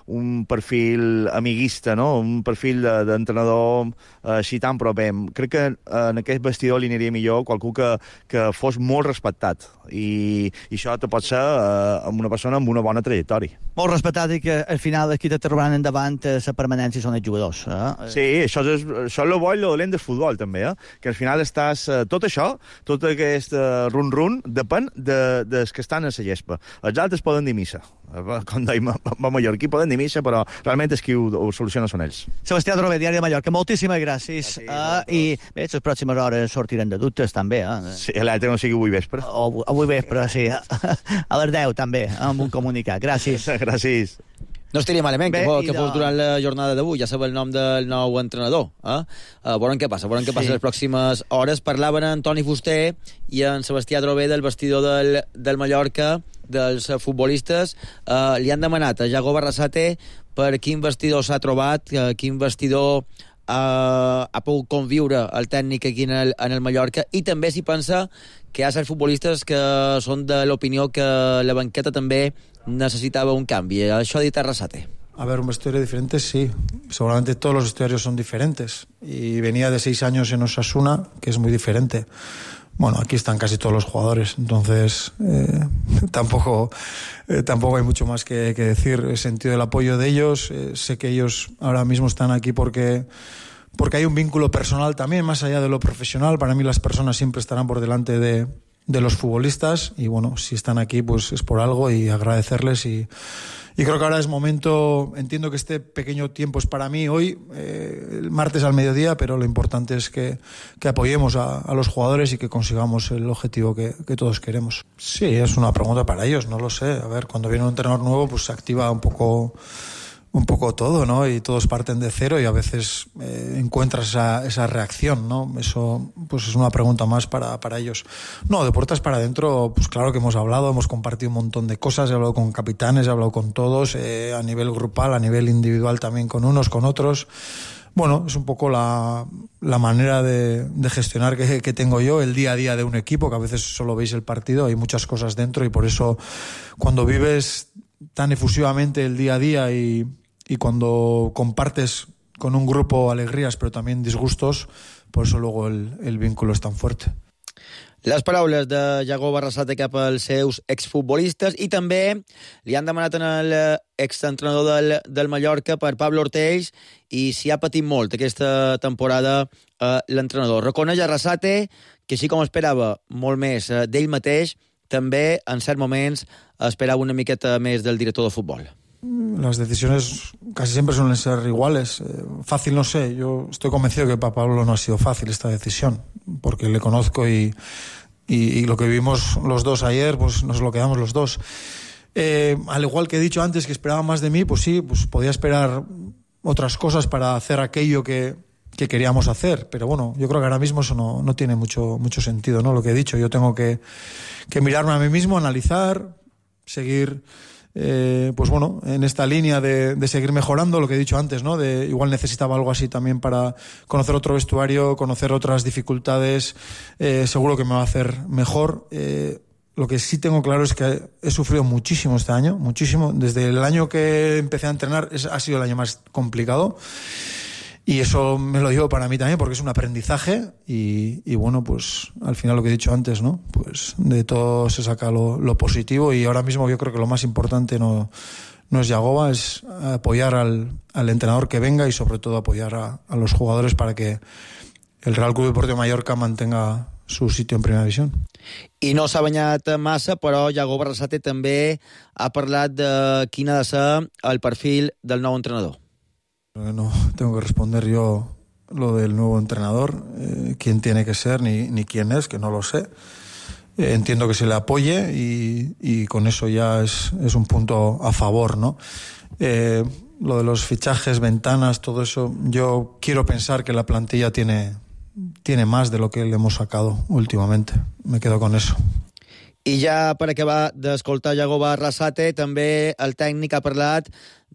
S10: un perfil amiguista, no? Un perfil d'entrenador uh, així tan proper. Crec que uh, en aquest vestidor li aniria millor qualcú que, que fos molt respectat, i, i això te pot ser uh, amb una persona amb una bona trajectòria.
S7: Molt respectat, i que al final aquí te trobaran endavant la permanència són els jugadors. Eh?
S10: Sí, això és, això és el bo i el dolent del futbol, també, eh? Que al final estàs... Tot això, tot aquest run-run, depèn de, dels que estan a la gespa. Els altres poden dir missa. Com deim a Mallorquí, poden dir missa, però realment els qui ho, ho soluciona són ells.
S7: Sebastià Drover, Diari de Mallorca, moltíssimes gràcies. Sí, uh, I bé, les pròximes hores sortiran de dubtes, també. Eh?
S10: Sí, l'altre no sigui avui vespre.
S7: O, avui vespre, sí. A les deu, també, amb un comunicat. Gràcies.
S10: Gràcies.
S6: No estaria malament
S7: Bé,
S6: que, fos, que
S7: de...
S6: fos durant la jornada d'avui, ja sabeu el nom del nou entrenador. Eh? Uh, veurem què passa, veurem què passa sí. les pròximes hores. Parlaven en Toni Fuster i en Sebastià Drover del vestidor del, del Mallorca, dels futbolistes. Uh, li han demanat a Yagoba Arrasate per quin vestidor s'ha trobat, uh, quin vestidor uh, ha pogut conviure el tècnic aquí en el, en el Mallorca, i també s'hi pensa que hi ha certs futbolistes que són de l'opinió que la banqueta també necessitava un canvi. Això ha dit Arrasate.
S5: a ver, un vestuario diferente, sí. Seguramente todos los vestuarios son diferentes. Y venía de seis años en Osasuna, que es muy diferente. Bueno, aquí están casi todos los jugadores, entonces eh, tampoco, eh, tampoco hay mucho más que, que decir. He sentido el apoyo de ellos, eh, sé que ellos ahora mismo están aquí porque, porque hay un vínculo personal también, más allá de lo profesional. Para mí las personas siempre estarán por delante de, de los futbolistas y bueno, si están aquí pues es por algo y agradecerles y... Y creo que ahora es momento, entiendo que este pequeño tiempo es para mí hoy, eh, el martes al mediodía, pero lo importante es que, que apoyemos a, a los jugadores y que consigamos el objetivo que, que todos queremos. Sí, es una pregunta para ellos, no lo sé. A ver, cuando viene un entrenador nuevo, pues se activa un poco... un poco todo, ¿no? Y todos parten de cero y a veces eh, encuentras esa, esa reacción, ¿no? Eso pues es una pregunta más para, para ellos. No, de puertas para adentro, pues claro que hemos hablado, hemos compartido un montón de cosas, he hablado con capitanes, he hablado con todos, eh, a nivel grupal, a nivel individual también con unos, con otros. Bueno, es un poco la, la manera de, de gestionar que, que tengo yo, el día a día de un equipo, que a veces solo veis el partido, hay muchas cosas dentro y por eso cuando vives tan efusivamente el día a día y, y cuando compartes con un grupo alegrías però també disgustos, por eso luego el, el vínculo es tan fuerte.
S6: Les paraules de Yago Barrasate cap als seus exfutbolistes i també li han demanat al exentrenador del, del Mallorca per Pablo Ortells i si ha patit molt aquesta temporada eh, l'entrenador. Reconeix a Arrasate que així com esperava molt més eh, d'ell mateix, també en certs moments esperaba una miqueta més del director de futbol.
S5: Las decisiones casi siempre suelen ser iguales. Eh, fácil no sé, yo estoy convencido que para Pablo no ha sido fácil esta decisión, porque le conozco y, y, y lo que vivimos los dos ayer, pues nos lo quedamos los dos. Eh, al igual que he dicho antes que esperaba más de mí, pues sí, pues podía esperar otras cosas para hacer aquello que, que queríamos hacer, pero bueno, yo creo que ahora mismo eso no, no tiene mucho, mucho sentido, ¿no? Lo que he dicho, yo tengo que, que mirarme a mí mismo, analizar, seguir... Eh, pues bueno, en esta línea de, de seguir mejorando, lo que he dicho antes, ¿no? De igual necesitaba algo así también para conocer otro vestuario, conocer otras dificultades, eh, seguro que me va a hacer mejor. Eh, lo que sí tengo claro es que he sufrido muchísimo este año, muchísimo. Desde el año que empecé a entrenar es, ha sido el año más complicado. Y eso me lo digo para mí también porque es un aprendizaje y, y bueno, pues al final lo que he dicho antes, ¿no? Pues de todo se saca lo, lo positivo y ahora mismo yo creo que lo más importante no, no es Yagoba, es apoyar al, al entrenador que venga y sobre todo apoyar a, a los jugadores para que el Real Club Deportivo Mallorca mantenga su sitio en primera división.
S6: I no s'ha banyat massa, però Yago Barrasate també ha parlat de quin ha de ser el perfil del nou entrenador.
S5: No tengo que responder yo lo del nuevo entrenador, eh, quién tiene que ser ni, ni quién es, que no lo sé. Eh, entiendo que se le apoye y, y con eso ya es, es un punto a favor, ¿no? Eh, lo de los fichajes, ventanas, todo eso, yo quiero pensar que la plantilla tiene, tiene más de lo que le hemos sacado últimamente. Me quedo con eso.
S6: I ja per acabar d'escoltar Yago Barrasate, també el tècnic ha parlat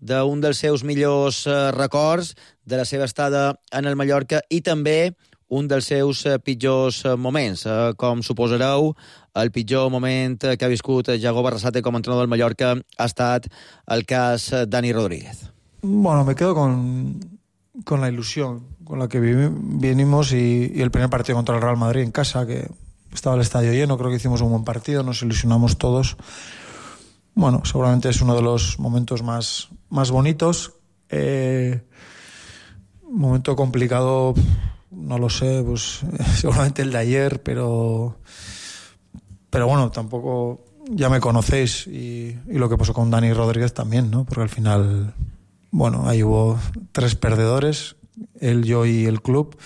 S6: d'un dels seus millors records, de la seva estada en el Mallorca i també un dels seus pitjors moments. Com suposareu, el pitjor moment que ha viscut Yago Barrasate com a entrenador del Mallorca ha estat el cas Dani Rodríguez.
S5: Bueno, me quedo con, con la ilusión con la que vinimos y, y el primer partido contra el Real Madrid en casa, que estaba el estadio lleno, creo que hicimos un buen partido, nos ilusionamos todos. Bueno, seguramente es uno de los momentos más, más bonitos. Eh, momento complicado, no lo sé, pues seguramente el de ayer, pero, pero bueno, tampoco ya me conocéis y, y lo que pasó con Dani Rodríguez también, ¿no? Porque al final, bueno, ahí hubo tres perdedores, él, yo y el club.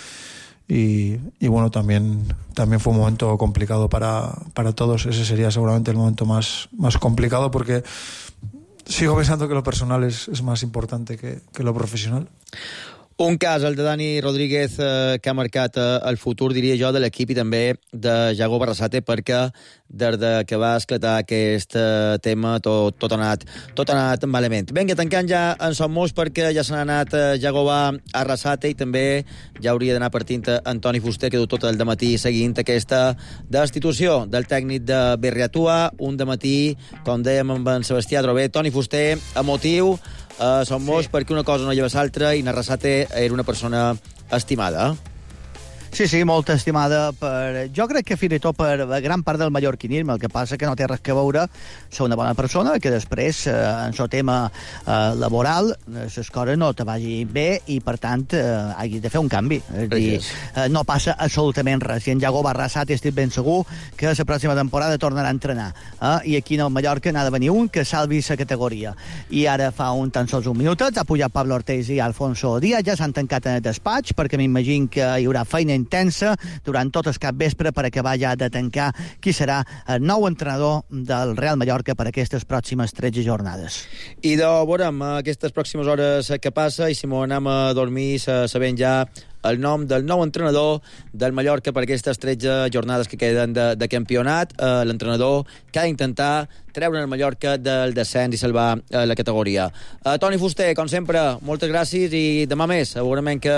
S5: Y, y bueno, también, también fue un momento complicado para, para todos. Ese sería seguramente el momento más, más complicado porque sigo pensando que lo personal es, es más importante que, que lo profesional.
S6: Un cas, el de Dani Rodríguez, eh, que ha marcat eh, el futur, diria jo, de l'equip i també de Yago Barrasate, perquè des de que va esclatar aquest eh, tema tot, tot, ha anat, tot ha anat malament. Vinga, tancant ja en som molts perquè ja se n'ha anat eh, Yago Barrasate i també ja hauria d'anar partint Antoni Fuster, que du tot el dematí seguint aquesta destitució del tècnic de Berriatua. Un dematí, com dèiem amb en Sebastià Drobé, Toni Fuster, emotiu, a Son Moix, sí. perquè una cosa no lleva l'altra i Arrasate era una persona estimada.
S7: Sí, sí, molt estimada per... Jo crec que fins i tot per gran part del mallorquinisme. El que passa que no té res que veure ser una bona persona, que després, eh, en el tema eh, laboral, les coses no te vagin bé i, per tant, eh, hagis de fer un canvi. És dir, eh, no passa absolutament res. I en Jacob Arrasate estic ben segur que la pròxima temporada tornarà a entrenar. Eh? I aquí en el Mallorca n'ha de venir un que salvi la categoria. I ara fa un tan sols un minutet ha pujat Pablo Ortiz i Alfonso Díaz, ja s'han tancat en el despatx, perquè m'imagino que hi haurà feina intensa durant tot el capvespre per acabar ja de tancar qui serà el nou entrenador del Real Mallorca per aquestes pròximes tretze jornades.
S6: I de veurem aquestes pròximes hores que passa i si m'ho anem a dormir sabent ja el nom del nou entrenador del Mallorca per aquestes tretze jornades que queden de, de campionat, eh, l'entrenador que ha d'intentar treure el Mallorca del descens i salvar eh, la categoria. Eh, Toni Fuster, com sempre, moltes gràcies i demà més, segurament que,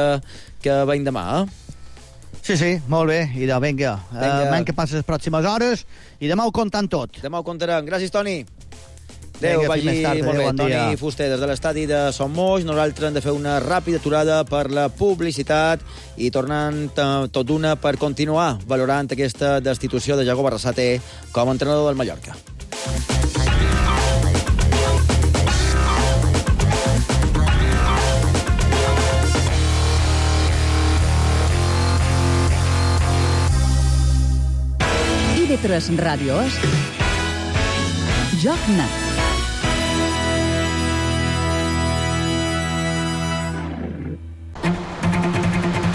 S6: que veiem demà, eh?
S7: Sí, sí, molt bé. I de vinga, vinga. Uh, que passi les pròximes hores i demà ho comptant tot.
S6: Demà ho comptarem. Gràcies, Toni. Adéu, vagi
S7: tarda,
S6: molt bé.
S7: Bon
S6: Toni
S7: dia.
S6: Fuster, des de l'estadi de Son Moix. Nosaltres hem de fer una ràpida aturada per la publicitat i tornant tot d'una per continuar valorant aquesta destitució de Jacob Arrasate com a entrenador del Mallorca.
S3: I V tres Ràdio és Joc Net.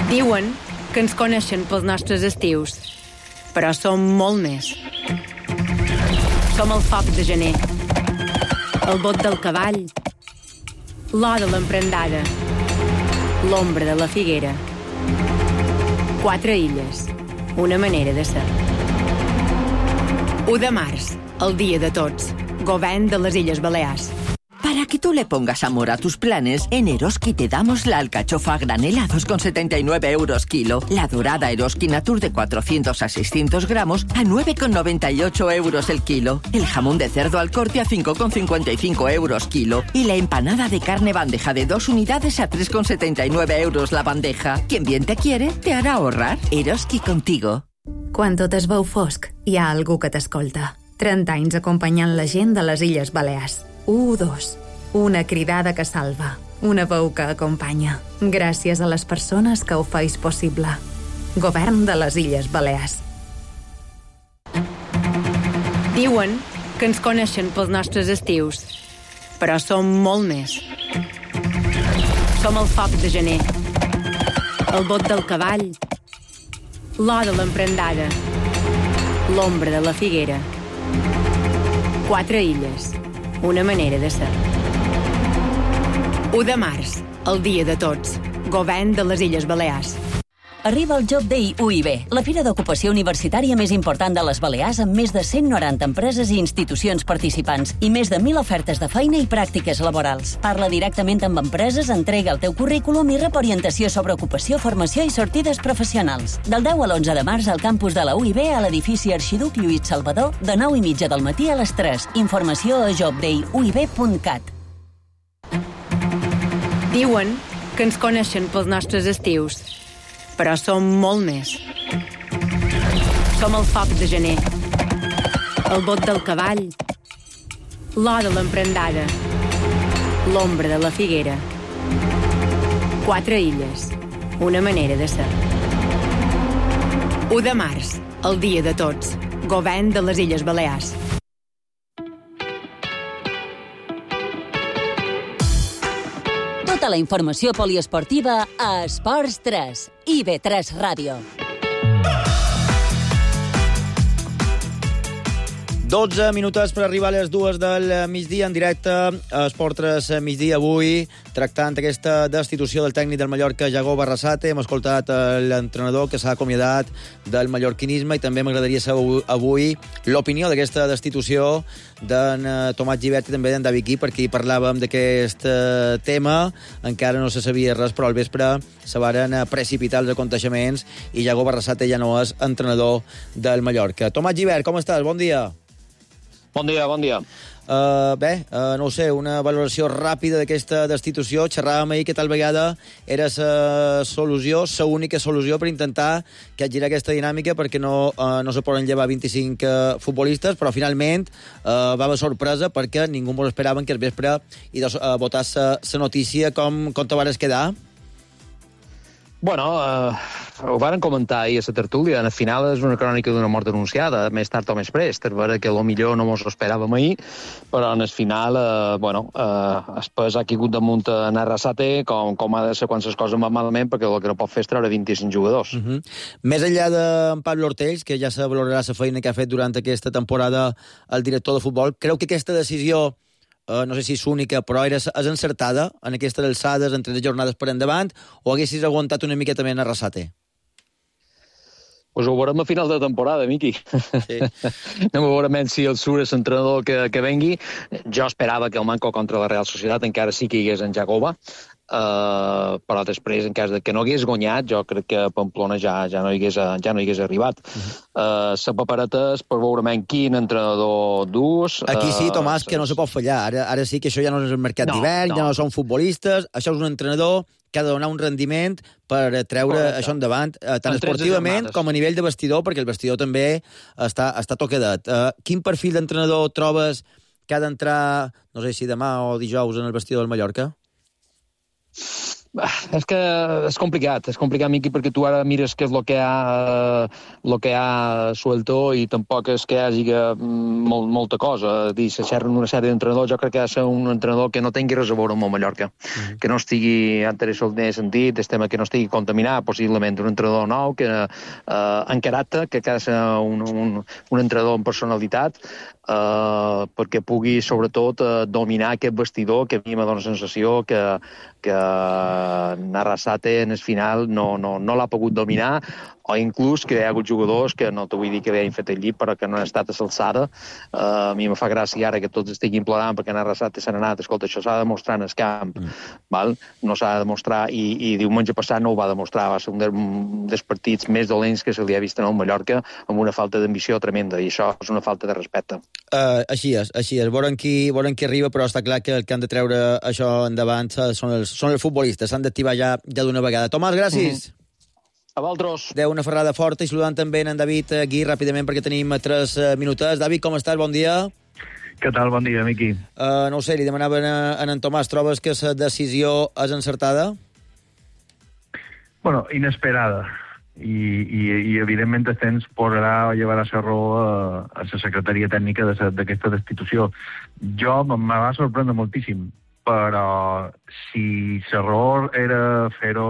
S11: Diuen que ens coneixen pels nostres estius, però som molt més. Som el foc de gener, el bot del cavall, l'or de l'emprendada, l'ombra de la figuera. Quatre illes, una manera de ser. u de març, el dia de tots, govern de les Illes Balears.
S12: Para que tú le pongas amor a tus planes, en Eroski te damos la alcachofa a granel a dos con setenta y nueve euros kilo, la dorada Eroski Natur de cuatrocientos a seiscientos gramos a nueve con noventa y ocho euros el kilo, el jamón de cerdo al corte a cinco con cincuenta y cinco euros kilo y la empanada de carne bandeja de dos unidades a tres con setenta y nueve euros la bandeja. Quien bien te quiere, te hará ahorrar. Eroski contigo.
S13: Quan tot es veu fosc, hi ha algú que t'escolta. trenta anys acompanyant la gent de les Illes Balears. u dos. Una cridada que salva. Una veu que acompanya. Gràcies a les persones que ho feis possible. Govern de les Illes Balears.
S11: Diuen que ens coneixen pels nostres estius, però som molt més. Som el foc de gener, el bot del cavall, l'or de l'emprendada, l'ombra de la figuera. Quatre illes, una manera de ser. u de març, el dia de tots, govern de les Illes Balears.
S4: Arriba el Job Day U I B, la fira d'ocupació universitària més important de les Balears amb més de cent noranta empreses i institucions participants i més de mil ofertes de feina i pràctiques laborals. Parla directament amb empreses, entrega el teu currículum i rep orientació sobre ocupació, formació i sortides professionals. Del deu a l'onze de març al campus de la U I B a l'edifici Arxiduc Lluís Salvador de nou i mitja del matí a les tres. Informació a job day u i b punt cat.
S11: Diuen que ens coneixen pels nostres estius, però som molt més. Som el foc de gener, el bot del cavall, l'or de l'emprendada, l'ombra de la figuera. Quatre illes, una manera de ser. u de març, el dia de tots, govern de les Illes Balears.
S4: Tota la informació poliesportiva a Esports tres, I V tres Ràdio.
S6: dotze minuts per arribar a les dues del migdia en directe a Esport tres migdia avui, tractant aquesta destitució del tècnic del Mallorca, Jacob Arrasate. Hem escoltat l'entrenador que s'ha acomiadat del mallorquinisme i també m'agradaria saber avui l'opinió d'aquesta destitució d'en Tomàs Gibert i també d'en David Gui, perquè hi parlàvem d'aquest tema, encara no se sabia res, però al vespre se varen precipitar els aconteixements i Jacob Arrasate ja no és entrenador del Mallorca. Tomàs Gibert, com estàs? Bon dia.
S14: Bon dia, bon dia.
S6: Uh, bé, uh, no ho sé, una valoració ràpida d'aquesta destitució. Xerràvem ahir que tal vegada era la solució, la única solució per intentar que girar aquesta dinàmica perquè no, uh, no se poden llevar vint-i-cinc uh, futbolistes, però finalment uh, va haver sorpresa perquè ningú mos esperava que al vespre i de uh, votar la notícia. Com, com te vares quedar?
S14: Bueno, eh, ho varen comentar ahir a la tertúlia. Al final és una crònica d'una mort anunciada, més tard o més prest. És vera que potser no mos ho esperàvem ahir, però en el final, eh, bueno, eh, el pes ha caigut damunt en Arrasate, com, com ha de ser quan les coses van malament, perquè el que no pot fer és treure vint-i-cinc jugadors.
S6: Uh-huh. Més enllà d'en Pablo Ortells, que ja se valorarà la feina que ha fet durant aquesta temporada el director de futbol, creu que aquesta decisió, Uh, no sé si és única, però era, és encertada en aquestes alçades, en tres jornades per endavant, o haguessis aguantat una miqueta més en Arrasate?
S14: Pues ho veurem a final de temporada, Miqui. Sí. Anem a veure si el surt és l'entrenador que, que vengui. Jo esperava que el manco contra la Real Societat encara sí que hi hagués en Jagoba, uh, però després, en cas de que no hagués guanyat, jo crec que Pamplona ja, ja, no, hi hagués, ja no hi hagués arribat. Uh-huh. uh, la papereta és per veure quin entrenador dus.
S6: Aquí sí, Tomàs,
S14: uh,
S6: que no se pot fallar. Ara, ara sí que això ja no és el mercat no, d'hivern, no. ja no són futbolistes, això és un entrenador que ha de donar un rendiment per treure Correcte. Això endavant, eh, tant esportivament com a nivell de vestidor, perquè el vestidor també està, està toquedat. Uh, quin perfil d'entrenador trobes que ha d'entrar, no sé si demà o dijous, en el vestidor del Mallorca?
S14: És que és complicat, és complicat, Miqui, perquè tu ara mires què és el que ha, el que ha suelto i tampoc és que hi hagi molt, molta cosa. Dir, se xerren una sèrie d'entrenadors, jo crec que ha de ser un entrenador que no tingui res a veure amb el Mallorca, mm. que no estigui interessat en sentit, el tema que no estigui contaminat, possiblement un entrenador nou, que eh, en caràcter, que ha de ser un, un, un entrenador amb personalitat, Uh, perquè pugui, sobretot, uh, dominar aquest vestidor que a mi m'ha donat la sensació que, que Arrasate en el final no, no, no l'ha pogut dominar, o inclús que hi ha hagut jugadors que no t'ho vull dir que havien fet el llit, però que no han estat a l'alçada. Uh, a mi me fa gràcia ara que tots estiguin plorant perquè en Arrasate s'han anat. Escolta, això s'ha de demostrar en el camp, mm. val? No s'ha de demostrar, i, i diumenge passat no ho va demostrar, va ser un dels partits més dolents que se li ha vist en el Mallorca, amb una falta d'ambició tremenda, i això és una falta de respecte.
S6: Uh, així és, així és. Veurem qui, veurem qui arriba, però està clar que el que han de treure això endavant són els, són els futbolistes. S'han d'activar ja, ja d'una vegada. Tomàs, gràcies. Mm.
S14: A vosaltres.
S6: Adéu, una ferrada forta, i saludant també en David aquí ràpidament perquè tenim tres minutets. David, com estàs? Bon dia.
S15: Què tal? Bon dia, Miqui.
S6: Uh, no ho sé, li demanaven a, a en Tomàs, trobes que la decisió és encertada?
S15: Bueno, inesperada. I, i, i evidentment el temps posarà o llevarà la raó a, a la secretaria tècnica d'aquesta destitució. Jo me va sorprendre moltíssim, però si l'error era fer-ho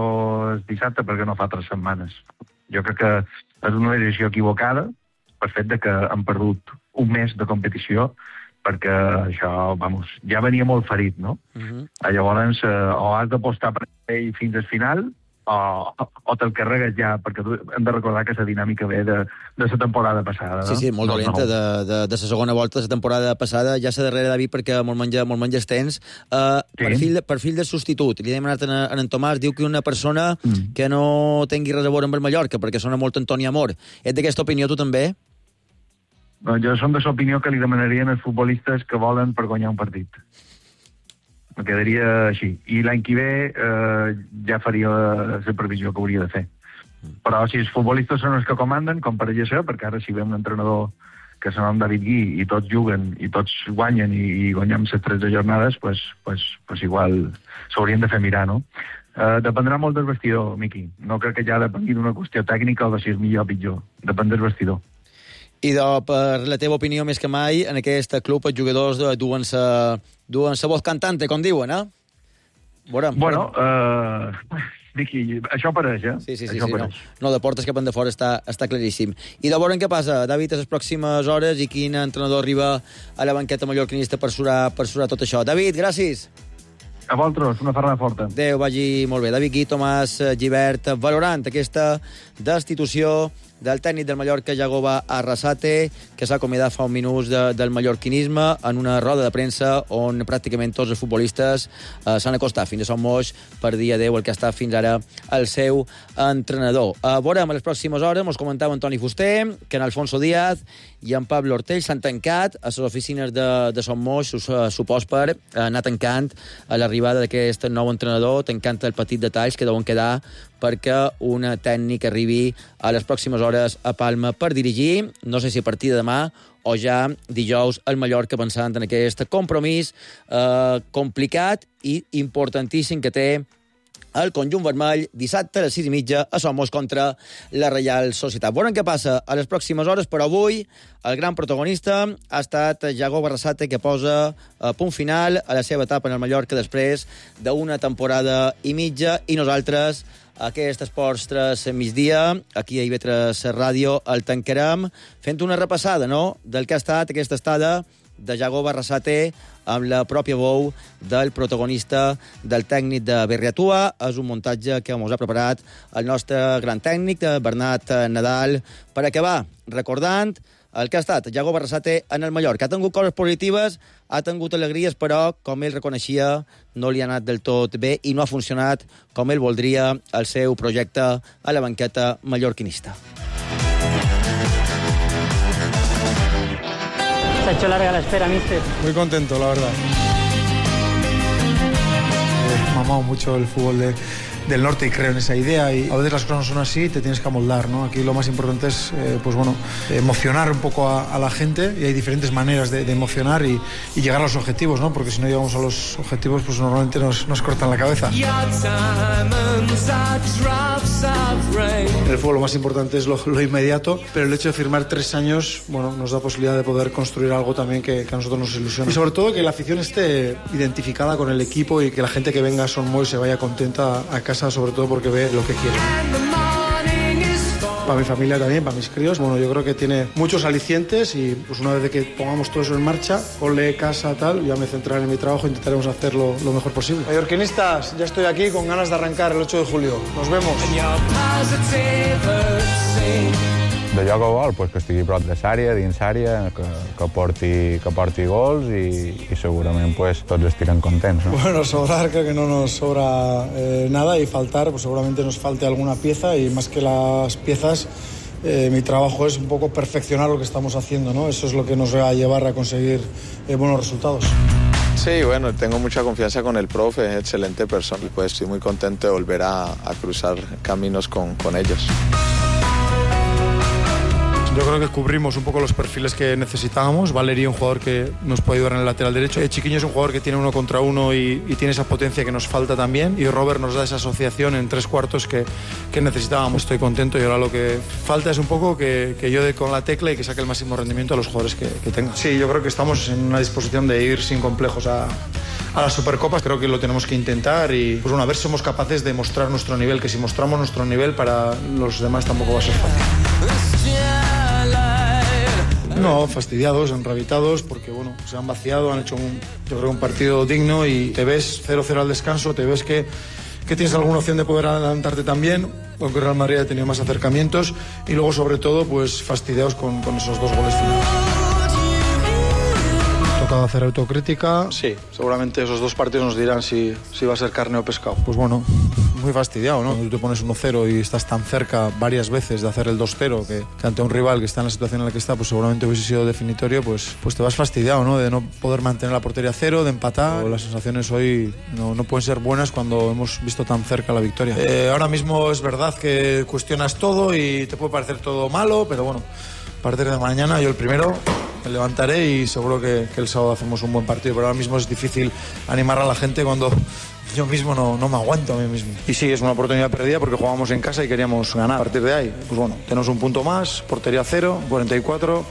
S15: el dissabte, perquè no fa tres setmanes? Jo crec que és una decisió equivocada per fet de que han perdut un mes de competició, perquè això, vamos, ja venia molt ferit, no? Uh-huh. Llavors, eh, o has d'apostar per ell fins al final, o, o te'l carregues ja, perquè hem de recordar que la dinàmica ve de, de la temporada passada. No?
S6: Sí, sí, molt dolenta, no, no. de, de, de la segona volta de la temporada passada, ja s'ha darrere David perquè molt menja, molt menja tens. Uh, sí. perfil, perfil de substitut, li hem demanat a en Tomàs, diu que una persona mm. que no tingui res a veure amb el Mallorca, perquè sona molt Antoni Amor. Ets d'aquesta opinió, tu també?
S15: No, jo som de l'opinió que li demanarien als futbolistes que volen per guanyar un partit. Me quedaria així. I l'any que ve eh, ja faria la previsió que hauria de fer. Però si els futbolistes són els que comanden, com pareix ser, perquè ara si ve un entrenador que se nom David Gui i tots juguen i tots guanyen i, i guanyem les tretze jornades, pues, pues, pues igual s'haurien de fer mirar, no? Eh, dependrà molt del vestidor, Miqui. No crec que ja depengui d'una qüestió tècnica o de si és millor o pitjor. Depèn del vestidor.
S6: I de, per la teva opinió, més que mai, en aquest club els jugadors duen sa, duen sa voz cantante, com diuen, eh? Veurem,
S15: bueno, uh, Vicky, això pareix, eh?
S6: Sí, sí, sí, sí no. no, de portes cap endavant està, està claríssim. I de veurem què passa, David, a les pròximes hores i quin entrenador arriba a la banqueta mallorquinista per surar, per surar tot això. David, gràcies.
S15: A vosaltres, una ferrada forta.
S6: Adéu, vagi molt bé. David Gui, Tomàs Gibert, valorant aquesta destitució del tècnic del Mallorca, Jagoba Arrasate, que s'ha acomiadat fa un minut de, del mallorquinisme en una roda de premsa on pràcticament tots els futbolistes eh, s'han acostat fins a Son Moix per dir adeu el que ha estat fins ara el seu entrenador. Eh, veurem a les pròximes hores, mos comentava Antoni Fuster, que en Alfonso Díaz i en Pablo Ortell s'han tancat a les oficines de, de Son Moix, supos per anar tancant a l'arribada d'aquest nou entrenador, tancant el petit detalls que deuen quedar perquè un tècnic arribi a les pròximes hores a Palma per dirigir, no sé si a partir de demà o ja dijous al Mallorca, pensant en aquest compromís eh, complicat i importantíssim que té el conjunt vermell dissabte a les sis i mitja a Son Moix contra la Reial Societat. Veurem què passa a les pròximes hores, però avui el gran protagonista ha estat Jagoba Arrasate, que posa a punt final a la seva etapa en el Mallorca després d'una temporada i mitja, i nosaltres aquest Esports tres migdia, aquí a I V tres Ràdio, el tancarem fent una repassada, no?, del que ha estat aquesta estada de Jagoba Arrasate amb la pròpia veu del protagonista, del tècnic de Berriatua. És un muntatge que ens ha preparat el nostre gran tècnic, Bernat Nadal, per acabar recordant el que ha estat Jagoba Arrasate en el Mallorca. Ha tingut coses positives, ha tingut alegries, però, com ell reconeixia, no li ha anat del tot bé i no ha funcionat com ell voldria el seu projecte a la banqueta mallorquinista.
S16: Se ha hecho larga la espera, mister.
S5: Muy contento, la verdad. He mamado mucho el fútbol de, del norte y creo en esa idea, y a veces las cosas no son así, te tienes que amoldar, ¿no? Aquí lo más importante es, eh, pues bueno, emocionar un poco a, a la gente, y hay diferentes maneras de, de emocionar y, y llegar a los objetivos, ¿no? Porque si no llegamos a los objetivos, pues normalmente nos, nos cortan la cabeza. En el fútbol lo más importante es lo, lo inmediato, pero el hecho de firmar tres años, bueno, nos da posibilidad de poder construir algo también que, que a nosotros nos ilusiona. Y sobre todo que la afición esté identificada con el equipo y que la gente que venga a Son Moix se vaya contenta a casa, sobre todo porque ve lo que quiere. Para mi familia también, para mis críos. Bueno, yo creo que tiene muchos alicientes, y pues una vez de que pongamos todo eso en marcha, cole, casa, tal, ya me centraré en mi trabajo e intentaremos hacerlo lo mejor posible. Mallorquinistas, ya estoy aquí con ganas de arrancar el ocho de julio. Nos vemos.
S17: De joc a gol, pues que estigui prop de l'àrea, dins l'àrea, que, que, porti, que porti gols, i, i segurament pues, tots estirem contents, ¿no?
S5: Bueno, sobrar creo que no nos sobra eh, nada, y faltar, pues seguramente nos falte alguna pieza, y más que las piezas, eh, mi trabajo es un poco perfeccionar lo que estamos haciendo, ¿no? Eso es lo que nos va a llevar a conseguir eh, buenos resultados.
S18: Sí, bueno, tengo mucha confianza con el profe, es excelente persona, y pues estoy muy contento de volver a, a cruzar caminos con, con ellos.
S5: Yo creo que cubrimos un poco los perfiles que necesitábamos. Valery, un jugador que nos puede ayudar en el lateral derecho. Chiquiño es un jugador que tiene uno contra uno y, y tiene esa potencia que nos falta también. Y Robert nos da esa asociación en tres cuartos que, que necesitábamos. Estoy contento, y ahora lo que falta es un poco que, que yo dé con la tecla y que saque el máximo rendimiento a los jugadores que, que tenga. Sí, yo creo que estamos en una disposición de ir sin complejos a, a las Supercopas. Creo que lo tenemos que intentar, y pues bueno, a ver si somos capaces de mostrar nuestro nivel, que si mostramos nuestro nivel, para los demás tampoco va a ser fácil. No, fastidiados, enrabitados, porque bueno, se han vaciado, han hecho un, yo creo, un partido digno, y te ves cero cero al descanso, te ves que, que tienes alguna opción de poder adelantarte también, aunque Real Madrid ha tenido más acercamientos, y luego sobre todo pues fastidiados con, con esos dos goles finales. Tocado hacer autocrítica. Sí, seguramente esos dos partidos nos dirán si, si va a ser carne o pescado. Pues bueno, muy fastidiado, ¿no? Cuando tú te pones uno cero y estás tan cerca varias veces de hacer el dos cero, que, que ante un rival que está en la situación en la que está, pues seguramente hubiese sido definitorio, pues, pues te vas fastidiado, ¿no? De no poder mantener la portería cero, de empatar. Las sensaciones hoy no, no pueden ser buenas cuando hemos visto tan cerca la victoria. Eh, ahora mismo es verdad que cuestionas todo y te puede parecer todo malo, pero bueno, a partir de mañana yo el primero me levantaré, y seguro que, que el sábado hacemos un buen partido, pero ahora mismo es difícil animar a la gente cuando yo mismo no, no me aguanto a mí mismo. Y sí, es una oportunidad perdida porque jugábamos en casa y queríamos ganar. A partir de ahí, pues bueno, tenemos un punto más, portería cero, cuarenta y cuatro,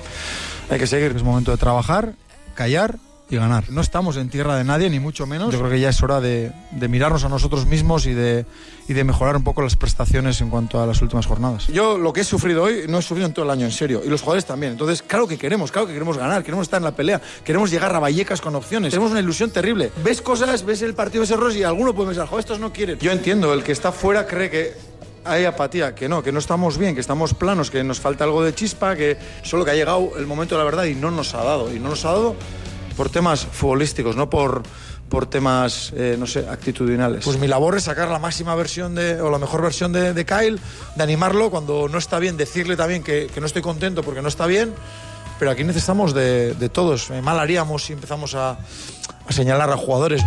S5: hay que seguir. Es momento de trabajar, callar y ganar. No estamos en tierra de nadie, ni mucho menos. Yo creo que ya es hora de, de mirarnos a nosotros mismos y de, y de mejorar un poco las prestaciones en cuanto a las últimas jornadas. Yo lo que he sufrido hoy no he sufrido en todo el año, en serio, y los jugadores también. Entonces, claro que queremos, claro que queremos ganar, queremos estar en la pelea, queremos llegar a Vallecas con opciones, tenemos una ilusión terrible. Ves cosas, ves el partido, ves errores, y alguno puede pensar, joder, estos no quieren. Yo entiendo, el que está fuera cree que hay apatía, que no, que no estamos bien, que estamos planos, que nos falta algo de chispa, que solo que ha llegado el momento de la verdad y no nos ha dado. Y no nos ha dado por temas futbolísticos, no por, por temas, eh, no sé, actitudinales. Pues mi labor es sacar la máxima versión de, o la mejor versión de, de Kyle, de animarlo cuando no está bien, decirle también que, que no estoy contento porque no está bien, pero aquí necesitamos de, de todos. Mal haríamos si empezamos a, a señalar a jugadores.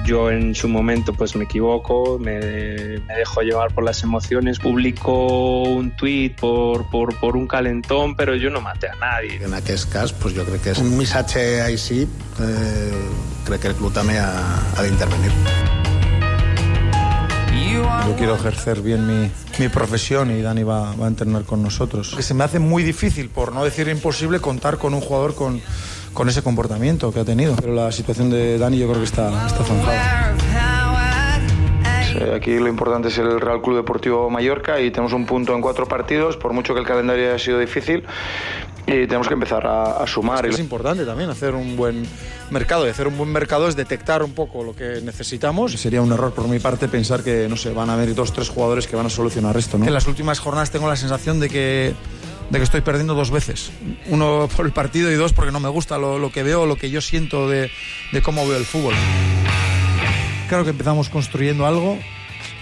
S19: Yo en su momento pues me equivoco, me, me dejo llevar por las emociones, publico un tuit por, por, por un calentón, però jo no maté a nadie.
S20: En aquest cas, pues jo crec que és un missatge així, eh, crec que el club també ha, ha d'intervenir.
S5: Yo quiero ejercer bien mi, mi profesión y Dani va, va a entrenar con nosotros. Que se me hace muy difícil, por no decir imposible, contar con un jugador con, con ese comportamiento que ha tenido. Pero la situación de Dani yo creo que está, está zanjada.
S21: Aquí lo importante es el Real Club Deportivo Mallorca y tenemos un punto en cuatro partidos, por mucho que el calendario haya sido difícil, y tenemos que empezar a, a sumar.
S5: Es, es importante también hacer un buen mercado, y hacer un buen mercado es detectar un poco lo que necesitamos. Sería un error por mi parte pensar que, no sé, van a haber dos o tres jugadores que van a solucionar esto, ¿no? En las últimas jornadas tengo la sensación de que, de que estoy perdiendo dos veces. Uno por el partido y dos porque no me gusta lo, lo que veo, lo que yo siento de, de cómo veo el fútbol. Creo que empezamos construyendo algo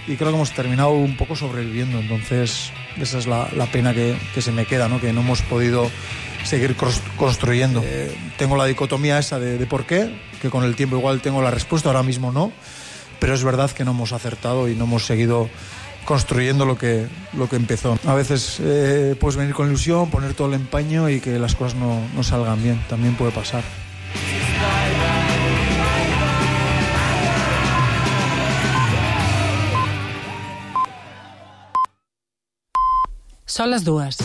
S5: y creo que hemos terminado un poco sobreviviendo. Entonces, esa es la, la pena que, que se me queda, ¿no? Que no hemos podido seguir construyendo. Eh, tengo la dicotomía esa de, de por qué, que con el tiempo igual tengo la respuesta, ahora mismo no, pero es verdad que no hemos acertado y no hemos seguido construyendo lo que, lo que empezó. A veces eh, puedes venir con ilusión, poner todo el empeño y que las cosas no, no salgan bien, también puede pasar.
S22: Són les dues.